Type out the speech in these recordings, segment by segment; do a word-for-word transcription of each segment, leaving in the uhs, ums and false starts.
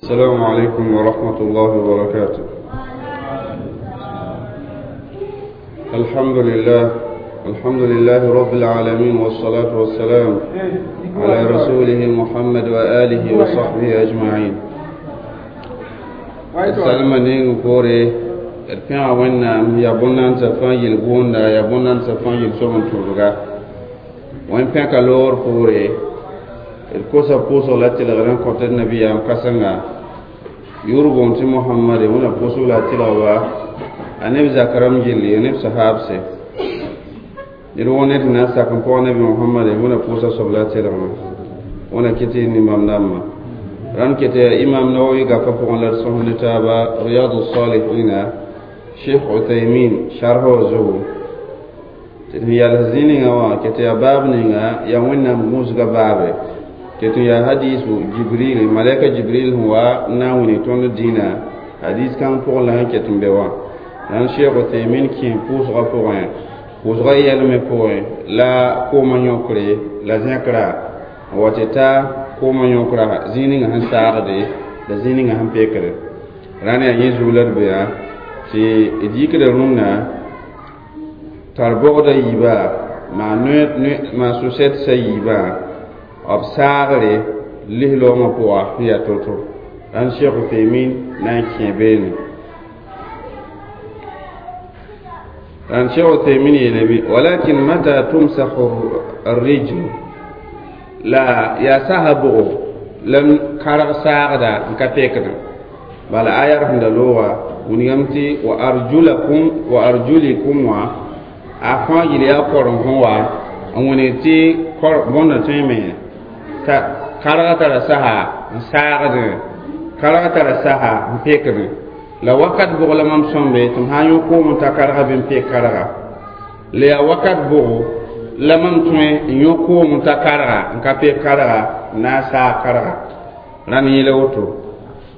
السلام عليكم ورحمة الله وبركاته. الحمد لله، الحمد لله رب العالمين، والصلاة والسلام على رسوله محمد وآله وصحبه أجمعين. Salma ning poore d pẽga Wẽnnaam yaa bõn-nansã fãa yel-boonda, yaa bõn-nansã fãa yel-soab n tʋlga. Wẽn pẽka loogr poore, d kosa pʋʋsg la tɩlgr n kõt d nabiyaam kãsenga yʋʋr boond tɩ Mohamade, Wẽnna pʋʋsg la a tɩlgba, a neb zak rãmb gilli, a neb sahaabse. Ned wõ ned sẽn na n sak n pɔg nabi Mohamade, Wẽnna pʋʋsa soab la a tɩlgmã, Wẽnna kɩ tɩ nimbam dãmbã. Rãnd ket yaa Imam Nawawi gapa pʋgẽ la d sõs ne taaba Riyadu Salihina, Sheikh Uthaymin sharh wã zugu tɩ d sẽn yals zĩ ninga wã ket yaa baab ninga yaa Wẽnnaam gũusga baabe, ket n yaa hadisu Jibril, malɛka Jibril sẽn wa n na n wilg tõnd dĩinã, hadis kãng pʋgẽ la sẽn ket n be wã. Rãnd Sheikh Uthaymin kẽ pʋʋsgã pʋgẽ, pʋʋsgã yɛlmẽ pʋgẽ la koomã yõkre la zẽkra n wa tɩ ta koomã yõkra zĩig ninga sẽn saagde la zĩig ninga sẽn pekde. Rãnd yaa yẽ zug la d be tɩ d yikda rũnnã tar bogda yiiba maa sʋsɛtsa yiibã b saagre lis-loongã pʋga sẽn yaa to-to. Rãnd Sheikh Uthaymin na n kẽ beene. Rãnd Sheikh Uthaymin yeelame: walakin mata tumsahu arrijlu, la yaa sasa bʋgo la n karg saagda n ka pekdã. Bala aya sẽn da looga wilgame tɩ wa arjulakum wa arjulikum wã a fãa yel yaa korem sẽn wa n wilg tɩ bõnda tõeme t'a karga tara sasa n saagdẽ, karga tara sasa n pekdẽ. La wakat bʋg la mam sõmbe tɩ m sã n yõ koom n ta karga bɩ n pek karga, la yaa wakat bʋgo la mam tõe n yõ koom n ta karga n ka pek karga n na n saag karga. Rãnd yẽla woto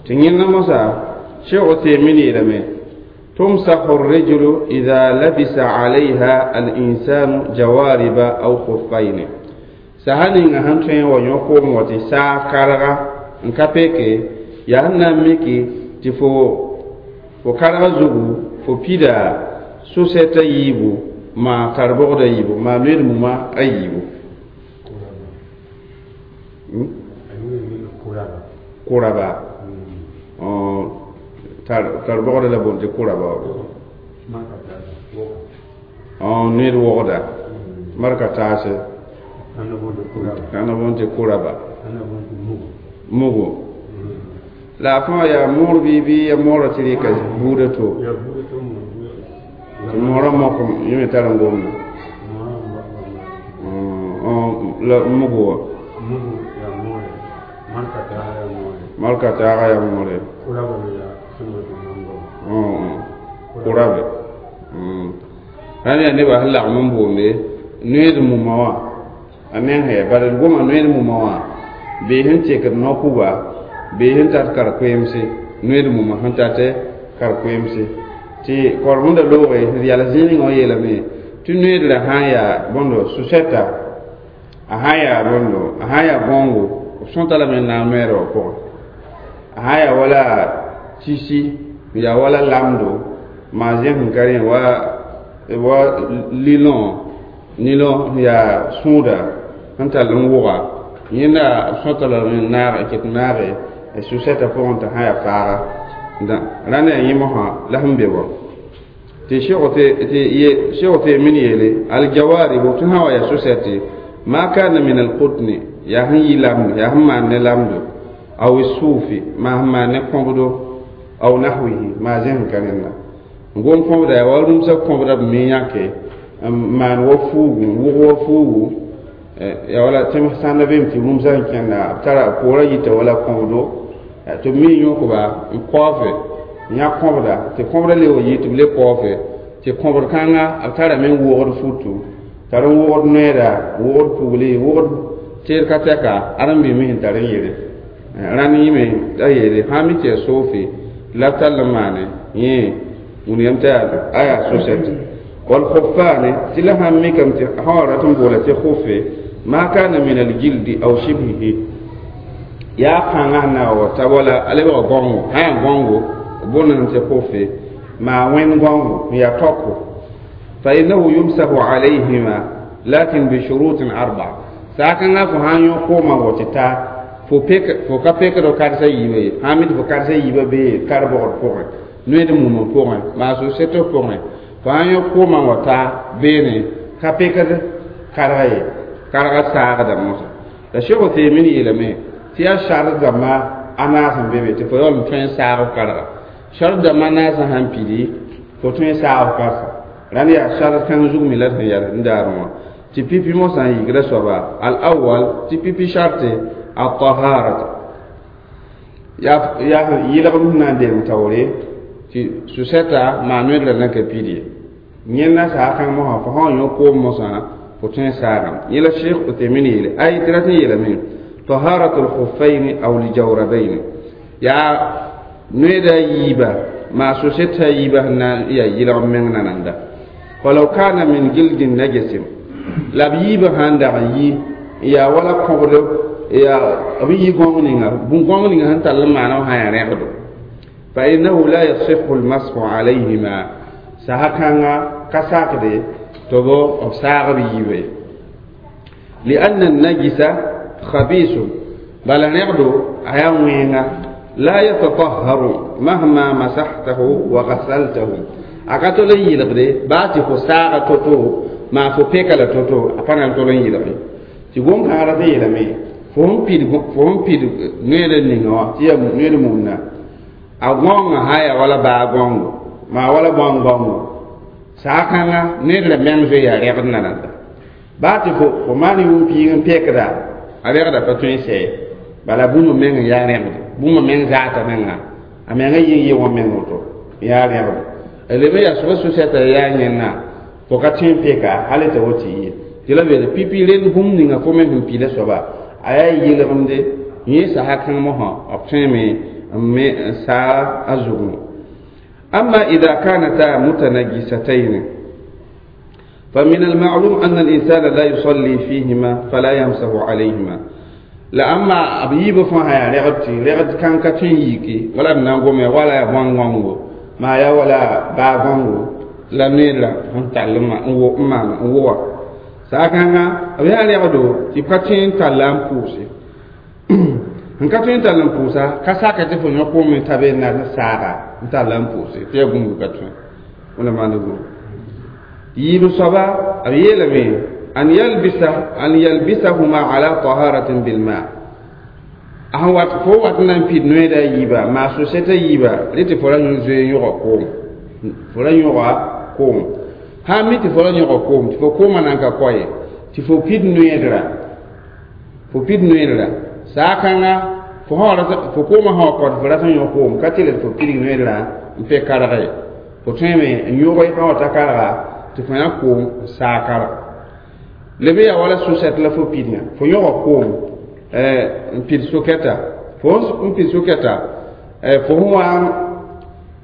tɩ yẽnda mosã Sheikh Uthaymin yeelame: tumsahu الرجل إذا لبس عليها الإنسان جوارب أو خفين. Sasa ninga sẽn tõe n wa yõ koom wa tɩ saag karga n ka peke, yaa sẽn na n miki tɩ fo fo karga zugu fo pida sʋsɛta yiibu maa tar bogda yiibu maa noed mumã a yiibu kʋraba tar bogda la boond tɩ kʋraba noed wogda marka taase ãna boond tɩ kʋraba mugo la a fãa yaa moor bɩ bɩ ya moorã tɩ rɩka buudã to tɩ moorã mok yẽ me tar n gomda la mugu wã malka taaga yaa moore kʋrabe. Rãnd yaa nebã sẽn lagm n boonde noed mumã wã a meng hɛ bala d goma noed mumã wã bee sẽn tekd no-kuga bee sẽn tat kar-koeemse, noed mumã sẽn tat kar-koeemse tɩ korem da looge d yals zĩig ninga wã yeelame tɩ noedrã sã n yaa bõndo sʋsɛta, a sã n yaa bõndo, a sã n yaa gõongo, b sõta lame n na n noeera wã pʋgẽ, a sã n yaa wala tisi, yaa wala lamdo maa zẽs sẽn ka rẽ wa wa lilõ nilõ yaa sũuda sẽn tall n wʋga, yẽnda b sõta lame n naag ket naage sʋsɛta pʋgẽ t'a sã n yaa faaga. Rãnd yaa yẽ mosã la sẽn be wã tɩ Sheikh Uthaymin yeele aljawaribu tɩ sã wa yaa sʋsɛte ma kana min alqutni yaa sẽn yi lamdo, yaa sẽn maan ne lamdo, aw suufi maa sẽn maan ne kõbdo, aw nahwihi maa zẽs n ka rẽnda n gom kõbda yaa wa rũmsã kõbda b me yãke n maan wa fuugu n wʋg wa fuugu yaa wala tɩ sãnda beem tɩ rũmsã n kẽnda b tara poorã yita wala kõbdo tɩ b me yõkba n kaoofe n yã kõbda tɩ kõbda le wa yi tɩ b le kaoofe tɩ kõbd kãnga b tarame n wogd futu, tar n wogd noeeda, wogd pugli, wogd teed ka tɛka ad n bɩme sẽn tar n yele. Rãnd yĩme a yeele sã n mi tɩ yaa soofe la b tall n maane yẽ wilgame tɩ a yaa sʋsɛte walkhufane tɩ la sãn mikame tɩ sã wa rat n boola tɩ khufe ma kana min aljildi aw shibhihi Yaa kãngã sẽn na wa ta wala a lebga gãongo sã yaa gãongo b booname tɩ kofe maa wẽnd gãongo n yaa tɔko fa innahu yumsahu alayhima lakin bishurutin arba saakãngã fo sã n yõ koomã wa tɩ ta fo pek fo ka pekd karsa yiibã ye sã mi tɩ fo karsa yiibã bee kar-bogd pʋgẽ noed mumã pʋgẽ maa so-setɔ pʋgẽ fo sã n yõ koomã wa ta beene ka pekd karga ye karga saagda moosã la Sheikh Uthaymin yeelame tɩ yaa shart dãmba a naas n be be tɩ fo yaool n tõe n saag f karga shart dãmba naasã sãn pidi fo tõe n saag f karsa rãnd yaa shart kãng zug me la d sẽn yaa n daar wã tɩ pipi mosã n yikda soaba al awal tɩ pipi sharte al-taharata yaa yaa yɩlgem sẽn na n deng taoore tɩ su-sɛta maa noedrã na ka pid ye yẽnda saa kãng mosã fo sã n yõ koom mosã fo tõe n saagame yẽ la Sheikh Uthaymin yeele ay tɩ rat n yeelame taharatu lkhuffayn aw ljawrabayn yaa noeda yiiba maa so-sɛta yiiba sẽn na n yaa yɩlgem meng nananda falaw kana min gildin najasin la b yiibã sãn dag n yi n yaa wala kõbdo yaa b yi gãong ninga bũn-gãong ninga sẽn tall n maana sã yaa rẽgdo fa innahu la yasihu lmashu alayhima sasa kãnga ka sakde tɩ b b saag b yiibã ye lianna najisa khabisun bala rẽgdo a yaa wẽenga la yatatahharu mahma masahtahu wa ghasaltahu a ka tol n yɩlgde baa tɩ fo saaga to-to maa fo peka la to-to a pa na n tol n yɩlge tɩ gom-kãngã rat n yeelame fo sẽn pid fo sẽn pid noeed ninga wã tɩ yaa noeed mumna a gãongã sã yaa wala baa gãongo maa wala bãong gãongo saa kãngã noeed la meng zoe yaa rẽgd nananda baa tɩ fo fo maan yʋʋm piig n pekda a rẽgda pa tõe n sɛ bala bũmb meng n yaa rẽgd bũmb meng zaata menga a menga yɩng yɩ wã meng woto n yaa rẽgd leb n yaa soaba so-sɛta yaa yẽnna fo ka tõe n peka hal t'a wa tɩ yɩ tɩ la beele pipi rend bũmb ninga fo me sẽn pida soaba a yaa yɩlgemde yẽ sasa kãng mosã b tõeme n me n saa a zugẽ أما إذا كانتا متنجستين فمن المعلوم أن الإنسان لا يصلي فيهما فلا يمسح عليهما la amma b yiibã fãa sã yaa rɛgd tɩ rɛgd kãng ka tõe n yiki wala b na n gome wala yaa bõn-gãongo maa yaa wala baa gãongo la noeedra sẽn tall n n maan n wʋga saa kãnga b yaa rɛgdo tɩ b ka tõe n talla n pʋʋse n ka tõe n tall n pʋʋsa ka saka tɩ fo yõ koom n ta be n na n saaga n talla n pʋʋse tɩ yaa gũmb ka tõe wẽna maand gũm yiib soaba b yeelame an yalbisa an yalbisahuma ala taharatin bilma a sẽn wat fo wat n na n pid noeeda yiiba maa so-sɛta yiiba rẽ tɩ fo ra zoe yõga koom fo ra yõga koom sã n mi tɩ fo ra yõga koom tɩ fo koomã nan ka koa ye tɩ fo pid noeedra fo pid noeedra saa kãnga fo fo koomã sã wa kɔ tɩ fo rat n yõ koom ka tɩl tɩ fo pidig noeedrã n pe karge ye fo tõeme n yõge sã wa ta karga tɩ fo yã koom n saag karga leb yaa wala so-sɛt la fo pidgã fo yõga koom n pid sokɛta fo n pid sokɛta fo sẽn wa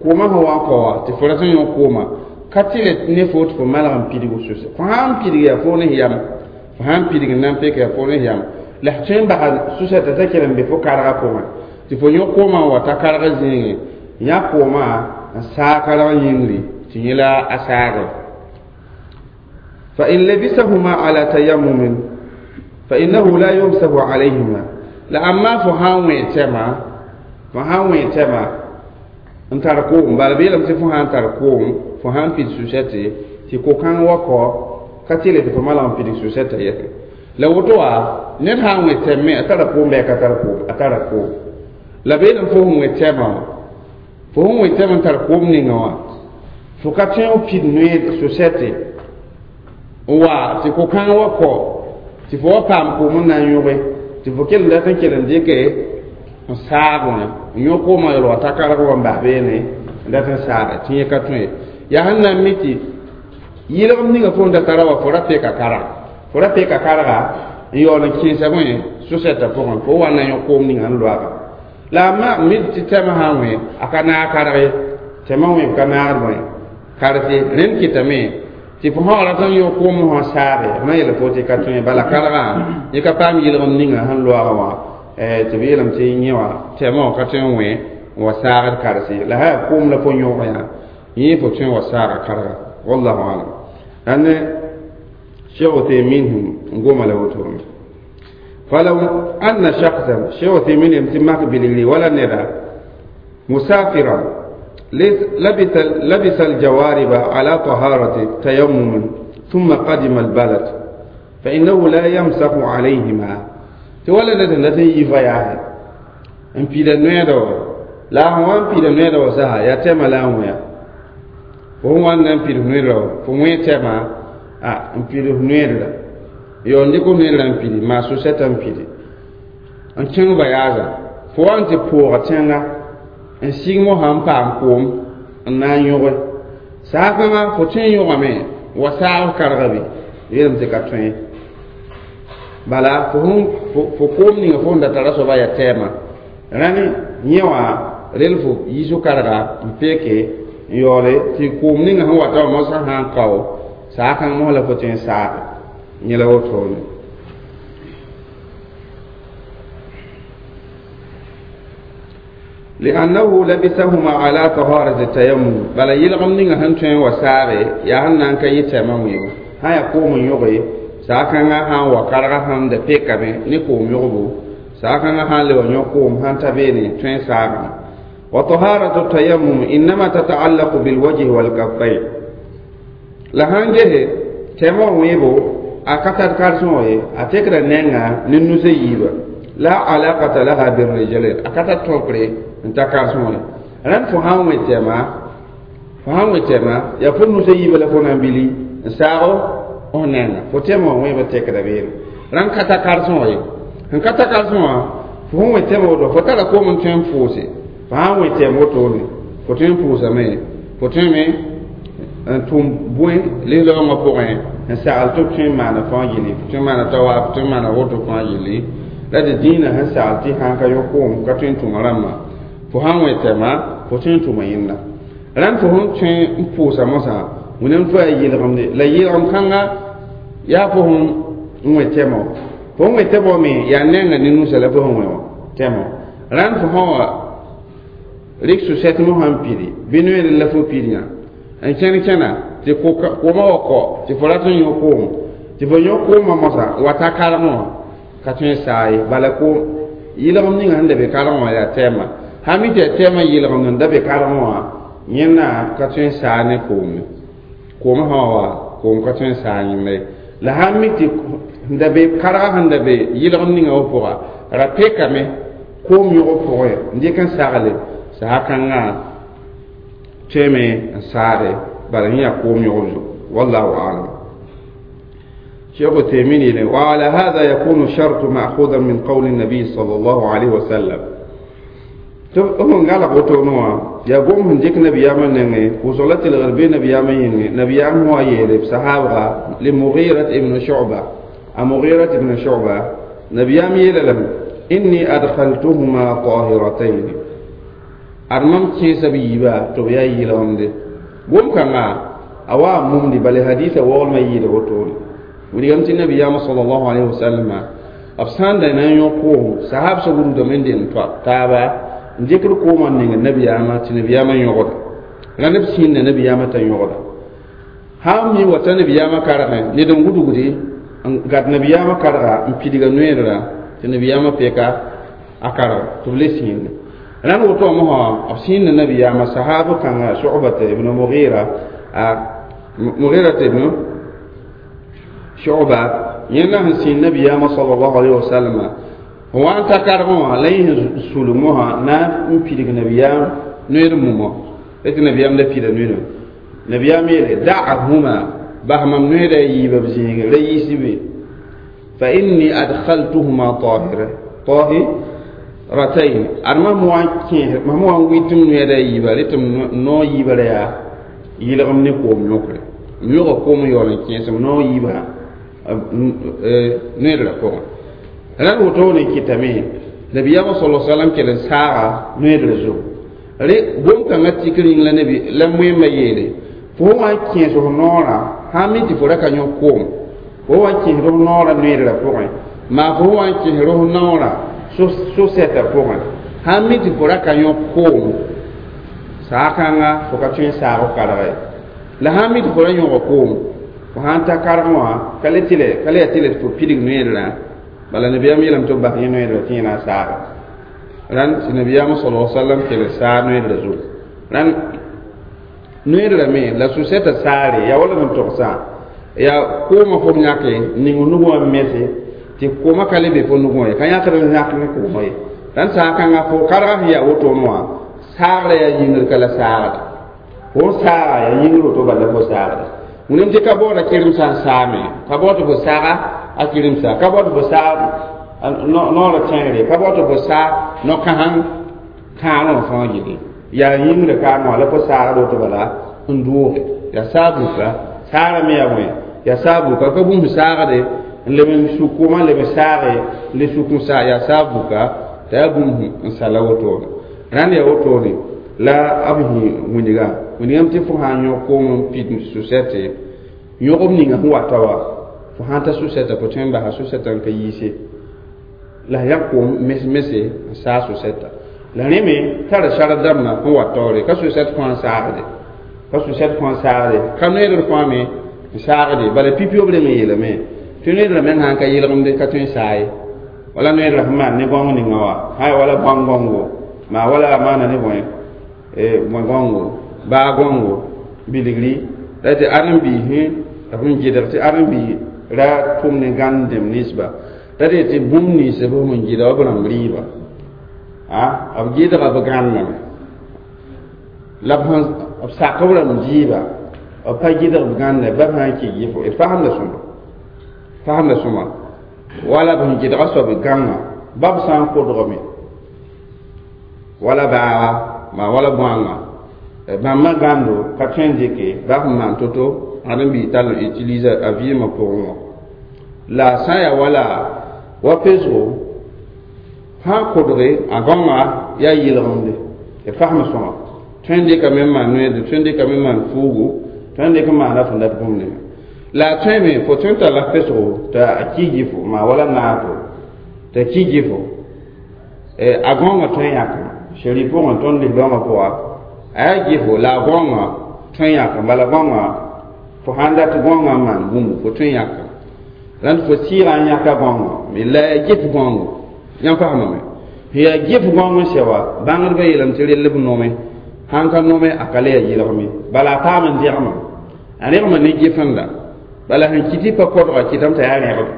koomã sẽn wa n kao wã tɩ fo rat n yõ koomã ka tɩl ne fo tɩ fo malg n pidg so fo sã n pidg yaa fo ne yam fo sã n pidg n na n peka yaa fo ne yam la f tõe n basa so-sɛta t'a kell n be fo karga pʋgẽ tɩ fo yõ koomã n wa ta karg zĩigẽ yã koomã n saag karg yĩngri tɩ yẽ la a saage فإن لبسهما على تيمم فإنه لا يمسح عليهما la amma fo sã n wẽ tɛma fo sã n wẽ tɛma n tar koom bala b yeelame tɩ fo sã n tar koom fo sã n pid su-sɛte tɩ ko-kãng wa kɔ ka tɩle tɩ fo malg n pidig su-sɛta yɛsẽ la woto wa ned sã n wẽ tɛm me a tara koom bɩ a ka tar koom a tara koom la b yeelame fo sẽn wẽ tɛmã wã fo sẽn wẽ tɛm n tar koom ninga wã fo ka tõe n pid noeed su-sɛte n wa tɩ ko-kãng wa kɔ tɩ fo wa paam koom n na n yõge tɩ fo kell dat n kell n dɩke n saag wã n yõ koomã yaool wa ta karg wa n bas beene n dat n saage tɩ yẽ ka tõe yaa sẽn na n mi tɩ yɩlgem ninga fo n da tara wa fo ra peka karga fo ra peka karga n yaool n kẽesa bõe so-sɛtã pʋgẽ fo wa na n yõ koom ninga n loaga la a ma mi tɩ tɛmã sã n wẽ a ka naag karg ye tɛmã wẽ b ka naagd bõe karse rẽnd kɩtame tɩ fo sã rat n yõ koom wã saage f na yeel fo tɩ ka tõe bala kargã yẽ ka paam yɩlgem ninga sẽn loaga wã tɩ b yeelame tɩ yẽ wã tɛɛmã wã ka tõe n wẽ n wa saagd karse la sã yaa koom la fo yõog yã yẽ fo tõe n wa saaga karga wallahu alam ane Cheikh Uthaymin n goma la wotone falaw anna shakhsan Cheikh Uthaymin yem tɩ mak bilgri wala neda musafiran لبس لبس الجوارب على طهارة تيمم ثم قدم البلد فإنه لا يمسح عليهما تولى ندى يفياه ان بيدا نويدو لا هو ان بيدا نويدو سها يا تما لا هو هو ان بيدا نويدو فمو تما ا ان بيدا نويدو yo ndiko noyda n pidi maa so-sɛta n pidi n kẽng bayaasa fo wa n tɩ pʋʋga tẽnga n sig mosã n paam koom n na n yõge saakãngã fo tõe n yõgame wa saag karga be yeelame tɩ ka tõe bala fo fo koom ninga fo n da tara soaba yaa tɛɛmã rãni yẽ wã rel fo yiiso karga n peeke n yaoole tɩ koom ninga sẽn wata wã mosã sã n kao saakãng mos la fo tõe n saage yẽ la wotone لأنه لبسهما على طهارة التيمم بل يلغم نيغا هن توين وساري يا هن نان كاي تيمم يو ها يقوم يوغي ساكان ها وكارغا هن ده بيكامي ني كوم يوغبو ساكان ها لو نيوكوم هن تابيني توين ساغا وطهارة التيمم إنما تتعلق بالوجه والكفين لهان جه تيمم ويبو أكتر كارسون أتكرا نينغا ننوسي يبا لا علاقة لها بالرجلين أكتر توكري n ta karsẽ ye rãnd fo sã n wẽ tɛma fo sã n wẽ tɛma yaa fo nusã yiibã la fo na n bili n saag f nengã fo tɛma wã wẽebã tekda beene rãnd ka ta karsẽ wã ye sẽn ka ta karsẽ wã fo sẽn wẽ tɛma woto fo tara koom n tõe n pʋʋse fo sã n wẽ tɛm wotone fo tõe n pʋʋsame fo tõeme n tʋm bõe lislaoongã pʋgẽ n sagl tɩ b tõe n maana fãa yelle fo tõe n maana tawaaf fo tõe n maana woto fãa yelle la tɩ dĩinã sẽn sagl tɩ sãn ka yõ koom ka tõe n tʋma rãmbã fo sãn wẽ tɛma fo tõe n tʋma yẽnda rãnd fo sẽn tõe n pʋʋsa mosã wẽnnaam tɩ yaa yelgemde la yelgem kãnga yaa fo sẽn n wẽ tɛmɔ fo n wẽ tɛmɔ me yaa nenga ne nusa la fo sẽn wẽ wã tɛmɔ rãnd fo sã wa rɩk so-sɛt mosã n pidi bɩ noeere la fo pid yã n kẽn kẽna tɩ koomã wa kɔ tɩ fo rat n yõ koom tɩ fo yõ koomã mosã wa ta kargẽ wã ka tõe n saa ye bala koom yelgem ninga sẽn da be kargẽ wã yaa tɛɛmã sã mi tɩ yaa tɛɛmã yelgem n da be kargẽ wã yẽnna ka tõe n saa ne koom ye koom sã wa koom ka tõe n saa yẽnda ye la sã n mi tɩ sẽn da be karga sẽn da be yelgem ninga wã pʋga ra pekame koom yõg pʋgẽ n dɩk n sagle saha kãngã tõeme n saade bala yẽ yaa koom yõgb zugu wallahu alam شيخ تيمين وعلى هذا يكون الشرط مأخوذا من قول النبي صلى الله عليه وسلم هم قال قوتونوا يا قوم هنديك نبي يامن نغي وصلت الغربي نبي يامن ينغي نبي يامن هو يلي صحابة لمغيرة ابن شعبة مغيرة ابن شعبة نبي يامن يلم إني أدخلتهما طاهرتين أرمم كيس بيبا تبيا يلهم دي قوم كما أوا ممدي بل حديث وول ما يلي وتولي وليغم تي نبي يامن صلى الله عليه وسلم أفسان دينا يقوم صحاب سبور دمين دين تابا n dɩkd koomã n neng nabiyaamã tɩ nabiyaamã yõgda la neb sĩnda nabiyaamã t'a yõgda sã n mi wa t'a nabiyaamã kargẽ ned n gudgdi n gat nabiyaamã karga n pidga noeedra tɩ nabiyaamã peka a karga tɩ b le sĩnda rãnd woto wã mosã b sĩnda nabiyaamã sahaab kãnga Shu'bata ibn Mughira a Mughira ibn Shu'ba yẽnda sẽn sĩnd nabiyaamã sallallahu alayhi wa sallam wa n ta kargẽ wã la yẽ sẽn sulg mosã na n pidg nabiyaam noeed mumɔ tɩ nabiyaam la pida noeedã nabiyaam yeele da'ahuma bas mam noeeda a yiiba b zĩige ra yiisi be fa inni adkhaltuhuma tahira tahiratayn ad mam wa n kẽes mam wa n wɩ tɩ m noeeda a yiiba rɩ tɩ m nao yiibã ra yaa yɩlgem ne koom yõkre m yõga koom n yaool n kẽes m nao yiibã noeedrã pʋgẽ rãnd wotone kɩtame nabiyaamã sala salam kell n saaga noeedr zugu rẽ bõn-kãngã tik rĩng la nabi la moẽmã yeele fo wa n kẽes f noorã sã n mi tɩ fo ra ka yõ koom fo wa n kẽesd f noorã noeedrã pʋgẽ maa fo wa n kẽesd f noorã so-sɛtã pʋgẽ sãn mi tɩ fo ra ka yõk koom saag-kãnga fo ka tõe n saag f karga ye la sãn mi tɩ fo ra yõga koom fo sãn ta karg wã ka le tɩ ka le yaa tɩ le tɩ fo pidig noeedrã bala nabiyaam yeelame tɩ b bas yẽ noeedrã tɩ yẽ na n saaga rãnd tɩ nabiyaam sala sallam kell saag noeedrã zugu rãnd noeedrã me la so-sɛtã saare yaa wala n togsã yaa koomã fo b yãke ning nugã wã mese tɩ koomã ka le be fo nugã ye ka yãkd n yãk ne koomã ye rãnd saag-kãngã fo karga sẽn yaa wotone wã saagrã yaa yĩngr ka la saagda fo n saaga yaa yĩngr woto bala fo saagda wẽnem tɩ ka baooda kɩremsã n saame ka bao tɩ fo saaga a kɩremsa ka bao tɩ fo saag noorã tẽegre ka bao tɩ fo saag no-kãseng kãanẽ wã fãa gilli yaa yĩngrã kaame wã la fo saagd woto bala n dooge yaa saag-buka saarã me yaa bõe yaa saag-buka ka bũmb saagde n leb n suk koomã leb n saage n le suk n saa yaa saag-buka t'a yaa bũmb n sala wotone rãnd yaa wotone la b yĩ wĩnga wĩngame tɩ fo sã n yõk koom n pid so-sɛte yõgb ninga sẽn wata wa fo sãn ta so-sɛta fo tõe n basa so-sɛta n ka yiise la sẽn yaa koom mes-mese n saag so-sɛta la rẽ me tara sar dãmbã sẽn wa taoore ka so-sɛt fãa n saagde ka so-sɛt fãa n saagde ka noeedr fãa me n saagde bala pipi-yob reng n yeelame tɩ noeedrã meng sãn ka yelgemde ka tõe n saa ye wala noeedrã sẽn maan ne gãong ninga wa sã ya wala bãng gãongo maa wala a maana ne bõe bõe gãongo baa gãongo bilgri la tɩ ãdem-biisẽ b sẽn gɩdg tɩ ãdem-biis ra tʋm ne gãnd dẽmb ninsba ra dee tɩ bũmb nins b sẽn gɩdga b rãmb rɩɩba b gɩdga b gãndame la b b sak b rãmb dɩɩba b pa gɩdg b gãnda ba b sã n kɩ gɩfo d fasemda sõma fasemda sõma wala b sẽn gɩdga soab gãngã ba b sã n kodgame wala baaga maa wala bõanga bãmba gãndo ka tõe n dɩke ba sẽn maan to-to ãdem-biis tall n utilise a vɩɩmã pʋgẽ wã la sã n yaa wala wa pesgo sã n kodge a gãongã yaa yelgemde d fasem sõma tõe n dɩkame n maan noeede tõe n dɩkame n maan fuugu tõe n dɩk n maana fõn dat bũmb ninga la a tõe me fo tõe n talla pesgo t'a a ki gɩfo maa wala naato t'a ki gɩfo a gãongã tõe n yãkame seri pʋgẽ tõnd lislaoongã pʋga a yaa gɩfo la a gãongã tõe n yãkame bala gãongã fo sãn dat gãongã n maan bũmbu fo tõe n yãkame rãnd fo sɩɩgã n yãka gãongã me la yaa gɩf gãongo yãmb fasemame sẽn yaa gɩf gãong n sɛ wa bãngdbã yeelame tɩ rell b nome sãn ka nome a ka le yaa yelgme bala a paam n dẽgema a rẽgema ne gɩfenda bala sẽn kɩ tɩ pa kodga kɩtame t'a yaa rẽgb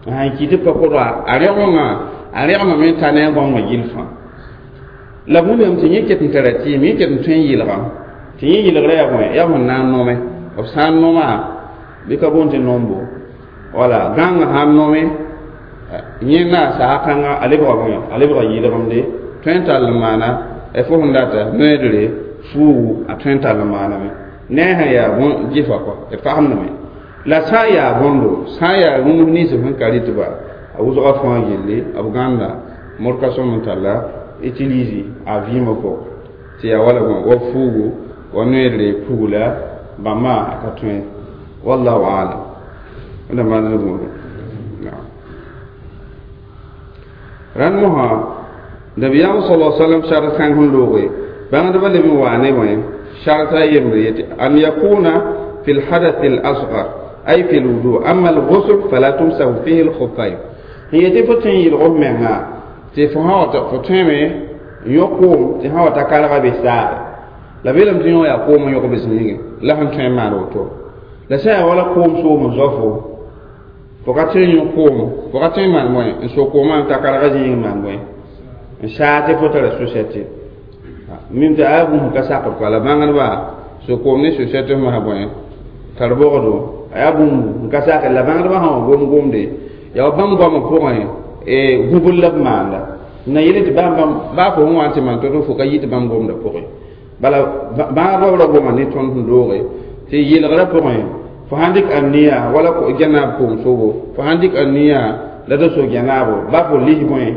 sãn kɩ tɩ pa kodga a rẽgengã a rẽgemame n ta ne a gãongã gill fãa la wĩnnaam tɩ yẽ ket n tara tɩɩm yẽ ket n tõe n yɩlga tɩ yẽ yɩlgrã yaa bõe yaa sẽn na n nome b sã n noma bɩ ka boond tɩ nombo wala gãngã sã n nome yẽ na saag kãnga a lebga bõe a lebga yɩlgemde tõe n tall n maana fo sẽn data noeedre fuugu a tõe n tall n maaname ne a sẽn yaa bõn gɩfa kɔ d fasemdame la sã n yaa bõndo sã n yaa rũms nins sẽn ka rɩtba a wʋsga fãa gilli b gãnda mod ka sõm n talla utilise a vɩɩmã pʋgẽ tɩ yaa wala bõe wa fuugu wa noeedre pugla bãmba a ka tõe wallahu alam wẽnda maan ne bũmb rãnd mosã nabiyaam sala sallam sart kãng sẽn looge bãngdbã leb n waa ne bõe sharta a yembre yetɩ an yakuna fi lhadath al-asghar ay fi lwudu amma al-ghusl fala tumsahu fihi al-khuffayn n yetɩ fo tõe n yɩlg f menga tɩ fo sã wa fo tõeme n yõ koom tɩ sã wa ta karga be saage la beelame tɩ yõ yaa koom n yõg bes yĩngẽ la sẽn tõe n maan woto la sã yaa wala koom soom n zao fo fo ka tõe n yõ koom fo ka tõe n maan bõe n so koomã n ta karga zĩig n maan bõe n saa tɩ fo tara so-sɛte mim tɩ a yaa bũmb ka sakd kɔa la bãngdba so koom ne so-sɛt f masã bõe tar bogdo a yaa bũmb n ka sakd la bãngdbã sã wa gom gomde yaa wa bãmb goamã pʋgẽ gũbl la b maanda na yele tɩ bãmb baa fo sẽn wa n tɩ maan to-to fo ka yɩ tɩ bãmb gomdã pʋgẽ bala bãagdbã ra goma ne tõnd sẽn dooge tɩ yelgrã pʋgẽ fo sãn dɩk aniya wala gẽnaab koom sobo fo sãn dɩk aniya la da so gẽnaabo ba fo lis bõe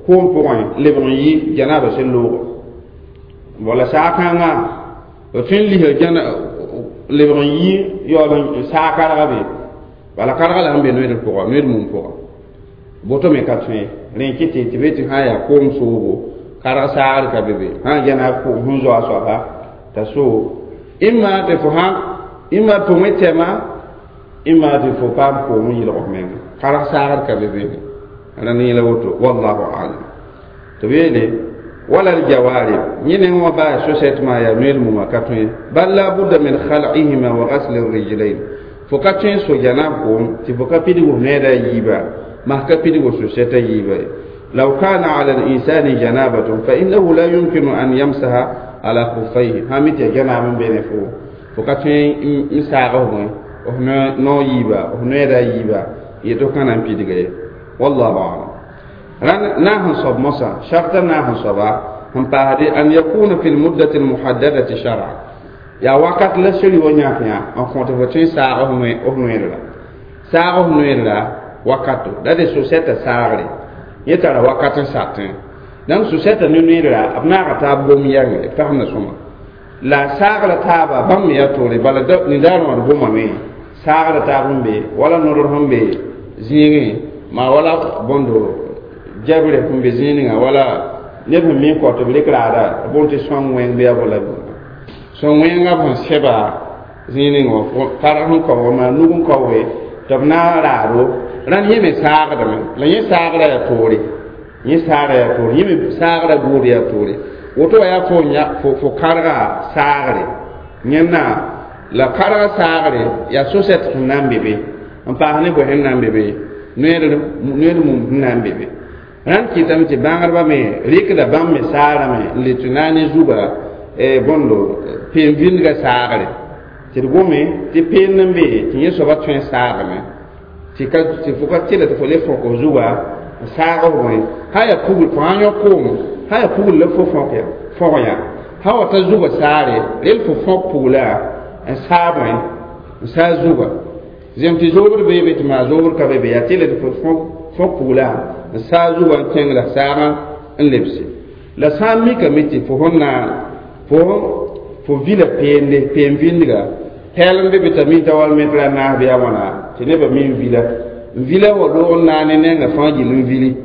koom pʋgẽ lebg n yɩ gẽnaabã sẽn loogo wala saag-kãngã b tõe n lisa gẽna lebg n yɩ yaool n saag karga be bala karga la sẽn be noeedr pʋga noeed mum pʋga Boto me ka tõe rẽ kɩ tɩ tɩ be tɩ sã n yaa koom soobo karg saagr ka be be sã n gɛna koom sẽn zoa soaba t'a soog ĩmma tɩ fo sã ĩmma pʋgẽ tɛma ĩmma tɩ fo paam koom n yɩlg f menga karg saagr ka be be rãnd yẽla woto wallahu alam tɩ b yeele wala aljawarib yẽ neng wã baa sosɛt maa yaa noeel mumã ka tõe bal la budda min khal'ihima wa gasli rijlain fo ka tõe so janab koom tɩ fo ka pidg f needa yiiba mas ka pidg sosɛta yiiba ye law kana ala linsani janabatun fa innahu la yumkinu an yamsaha ala khufayhi sã mi tɩ ya janaab n be ne fo fo ka tõe n saag f bõe f nao yiiba f noeeda yiiba yetɩ f ka na n pidga ye wallahu alam rãnd na sẽn soab mosã sharta na sẽn soaba sẽn paasde an yakuna fi lmuddati lmuhaddadati shara yaa wakat la seri wa yãk yã n kõ tɩ fo tõe saag f noeedra saag f noeedra wakato la de sosɛta saagre yẽ tara wakat n satẽ donc sosɛta ne noeedra b naaga taab gom yɛnge b fasẽmda sõma la saagra taaba bãmb me yaa toore bala nindaar wã d gomame saagra taab n be wala nodr sẽn be zĩigẽ maa wala bõndo jabre sẽn be zĩig ninga wala neb sẽn mi n kɔ tɩ b rɩk raada bõn tɩ sõng wẽng bɩ a bo la sõng wẽngã sẽn sɛba zĩig ning wã karg sẽn kaoog maa nug n kaooge tɩ b na n raado rãnd yẽ me saagdame la yẽ saagra yaa toore yẽ saagra yaa toore yẽ me saagra buud yaa toore woto wa yaa fo fo fo karga saagre yẽnna la karga saagre yaa sosɛt sẽn na n be be n paas ne bõe sẽn na n be be noed mum sẽn na n be be rãnd kɩtame tɩ bãngdbã me rɩkda bãmb me saagrame n le tɩ na ne zuga bõndo peen-vĩndgã saagre tɩ d gome tɩ peen n be tɩ yẽ soaba tõe n saagame tɩ ka tɩ fo ka tɩla tɩ fo le fõk f zuga n saag f bõe sã yaa pugl fo sã yõ koom sã yaa pugl la fo fõk ya fõg yã sã wa ta zuga saare rel fo fõk pugla n saa bõe n saa zuga zem tɩ zoobd bee be tɩ maa zoobd ka be be yaa tɩla tɩ fo fõk fõk pugla n saa zuga n kẽng la saagã n lebse la sã n mikame tɩ fo sẽn na fo fo vila peende peen-vĩndga pɛɛl n be be t'a mi t'a wal metra a naas bɩ a wãna tɩ nebã mi n vila n vila wa loog n naane nenga fãa gill n vili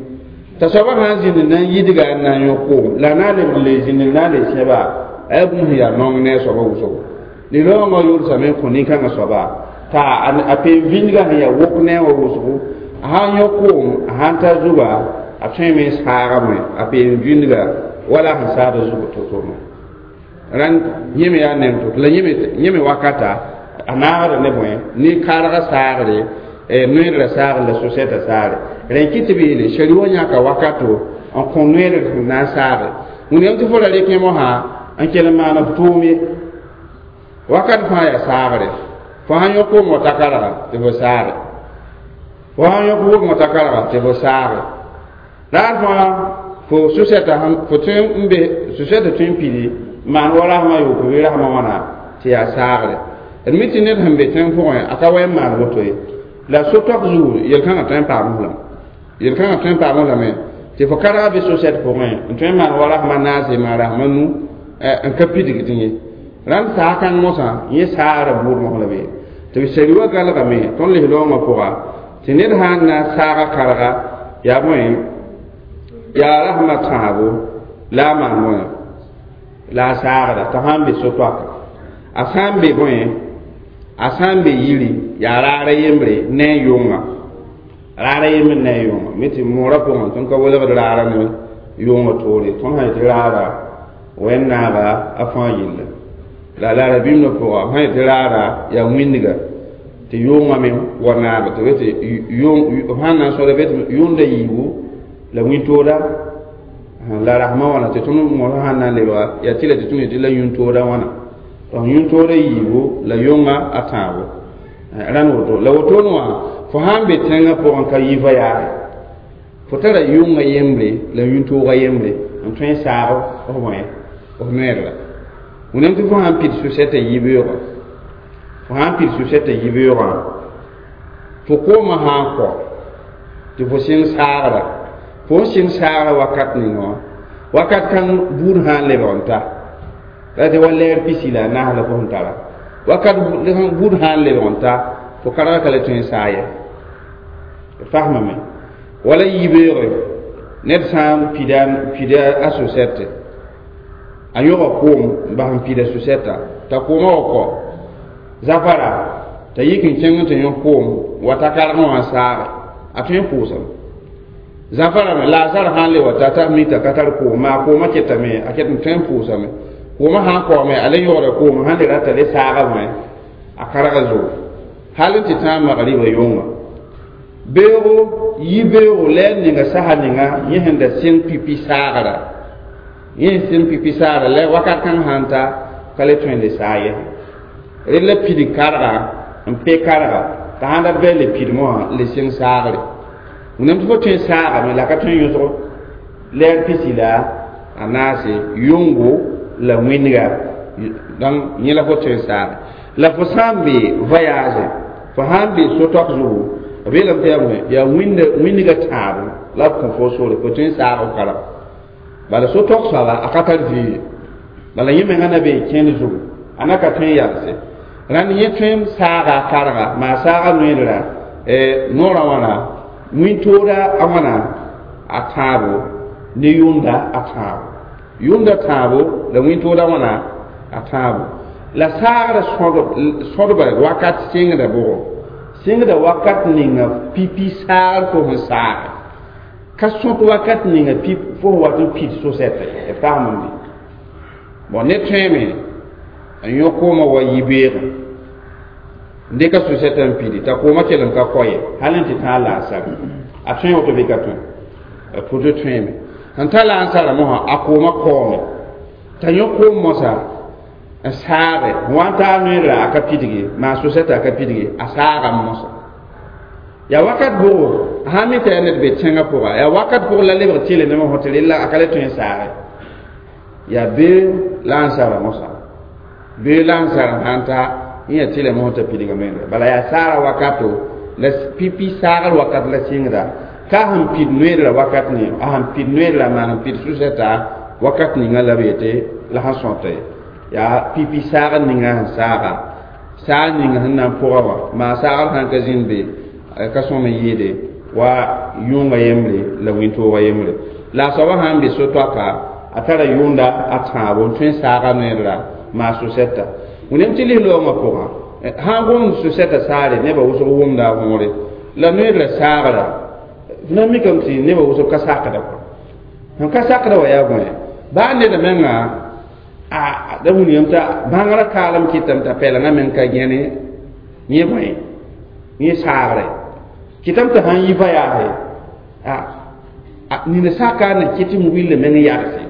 t'a soabã sã n zĩnd n na n yidga n na n yõ koom la a na n lebg n le zĩnd n na n le sẽba a yaa bũmb sẽn yaa nong ne a soabã wʋsgo li-raoongã yʋlsame n kõ nin-kãngã soaba t'a a peen-vĩndgã sẽn yaa wok ne a wã wʋsgo a sã n yõ koom a sã n ta zuga a tõeme n saagame a peen-vĩndga wala sẽn saada zug to-to me rãnd yẽ me yaa neng to la yẽ me wakata a naagda ne bõe ne karga saagre noeedrã saagr la sosɛtã saagre rẽ kɩ tɩ b yeele shari wã yãka wakato n kõ noeedr sẽn na n saage wẽnnaam tɩ fo ra rɩk yẽ mosã n kell n maan f tʋʋm ye wakat fãa yaa saagre fo sãn yõ koom wã ta karga tɩ fo saage fo sãn yõk wʋgẽ wã ta karga tɩ fo saage raar fãa fo sosɛtã fo tõe n be sosɛtã tõe n pidi maan wa rasmã yooko bɩ rasmã wãna tɩ yaa saagre d mi tɩ ned sẽn be tẽng pʋgẽ a ka wa n maan woto ye la so-toak zugu yel-kãngã tõe n paam lame yel-kãngã tõe n paam lame tɩ fo karga be sosɛt pʋgẽ n tõe n maan wa rasmã naase maan rasmã nu n ka pidgd ye rãnd saag kãng mosã yẽ saagra buud mos la be tɩ b sari wa galgame tõnd lis-loongã pʋga tɩ ned sã n na n saaga karga yaa bõe yaa rasmã tãabo la a maan bõe la a saagra t'a sã n be so-toaka a sã n be bõe a sã n be yiri yaa raara yembre ne a yʋnga raara yembre ne a yʋnga mi tɩ moorã pʋgẽ tõnd ka welgd raara ne yʋngã toore tõnd sã yetɩ raara wẽn-naaga a fãa yilla la la rabĩmdã pʋga sã yetɩ raara yaa wĩndga tɩ yʋngã me wa naaga tɩ tɩ b sãn na n sõda be tɩ yʋnda yiibu la wĩntooda la rasmã wãna tɩ tõnd mosã sãn na n lebga yaa tɩ la tɩ tõnd yetɩ la yũntooda wãna donc yũntoodã yiibu la yʋngã a tãabo rãnd woto la wotone wã fo sã n be tẽngã pʋgẽ ka yi voyage fo tara yʋngã yembre la yũntoogã yembre n tõe n saag f bõe f noeedra wẽnnaam tɩ fo sã n pid sosɛtã yibeoogã fo sã n pid sosɛtã yibeoogã fo koomã sã n kɔ tɩ fo sẽng saagra fo n sẽng saagra wakat ning wã wakat kãng buud sã n lebg n ta la tɩ wa lɛɛr pisi la a naas la fo sẽn tara wakat buud sã n lebg n ta fo karga ka le tõe n saa ye d fasmame Wala yibeoogre ned sã n pida pida a sosɛte a yõga koom n bas n pida sosɛta t'a koomã wa kɔ zafara t'a yik n kẽng tɩ yõ koom wa ta kargẽ wã n saage a tõe n pʋʋsame zafara me laasar sã n le wa ta t'a mi t'a ka tar koom maa koomã ketame a ket n tõe n pʋʋsame koomã sã n kaoome a le yõgda koom sãn le rata le saagame a karga zugu hal n tɩ tãag magriba yʋnga beoogo yi-beoogo la a ninga sasa ninga yẽ sẽn da sɩng pipi saagra yẽ sẽn pipi saagra la wakat kãng sãn ta ka le tõe n le saag yɛsẽ rel la pidig karga n pe karga t'a sãn dat bɩ le pidmẽ wã le sɩng saagre wẽnnaam tɩ fo tõe n saagame la ka tõe n yõsg lɛɛr pisi la a naase yʋngo la wĩnga donc yẽ la fo tõe n saage la fo sã n be voyage fo sã n be so-toak zugu b yeelame tɩ yaa bõe yaa wĩndga tãabo la b kõ fo sore fo tõe n saag f karem bala so-toak soaba a ka tar vɩɩ bala yẽ menga na be kẽnd zugu a na ka tõe n yalse rãnd yẽ tõe n saaga a karga maa saaga noeedra noorã wãna wĩntooda a wãna a tãabo ne yʋnda a tãabo yʋnda tãabo la wĩntooda wãna a tãabo la saagrã sõdba wakat sɩngda bʋgɔ sɩngda wakat ninga pipi saagr fo sẽn saage ka sõt wakat ninga pip fo sẽn wat n pid so-sɛta ye b tagsem n be bon ne tõeme n yõ koomã wa yi-beegã n dɩka so-sɛta n pidi t'a koomã kell n ka kɔ ye hal n tɩ tãag laasar a tõe woto bɩ ka tõe a pʋtɩ tõeme sẽn ta laansarã mosã a koomã kaoome t'a yõ koom mosã n saage wa n taa noeedra a ka pidge maa so-sɛta a ka pidge a saagame mosã yaa wakat bʋgo sã n mi t'a yaa ned be tẽngã pʋga yaa wakat pʋg la lebg tɩle ne mosã tɩ rella a ka le tõe n saage yaa bee laansarã mosã bee laansarã sãn ta yẽ yaa tɩlɛ mosã t'a pidga noeedra bala yaa saara wakato la pipi saagr wakat la sɩngda ka sẽn pid noeedra wakat ne a sẽn pid noeedra maa sẽn pid sʋsɛta wakat ninga la b yetɩ la sẽn sõta ye yaa pipi saagr ninga sẽn saaga saag ninga sẽn na n pʋga wã maa saagr sãn ka zĩnd be ka sõm n yɩɩde wa yʋnga yembre la wĩntoogã yembre la a soabã sã n be so-toaka a tara yʋnda a tãabo n tõe n saaga noeedra maa sʋsɛta wẽnnaam tɩ lis-loongã pʋgã sã n gomd sʋsɛta saare nebã wʋsg wʋmda a võore la noeedra saagra na mikame tɩ nebã wʋsg ka sakda kɔ sẽn ka sakda wa yaa bõe baa neda menga a da wilgame t'a bãngrã kaalem kɩtame t'a pɛlengã meng ka gẽne yẽ bõe yẽ saagre kɩtame t'a sãn yi voyage a nina saka na kɩ tɩ wilã meng yagse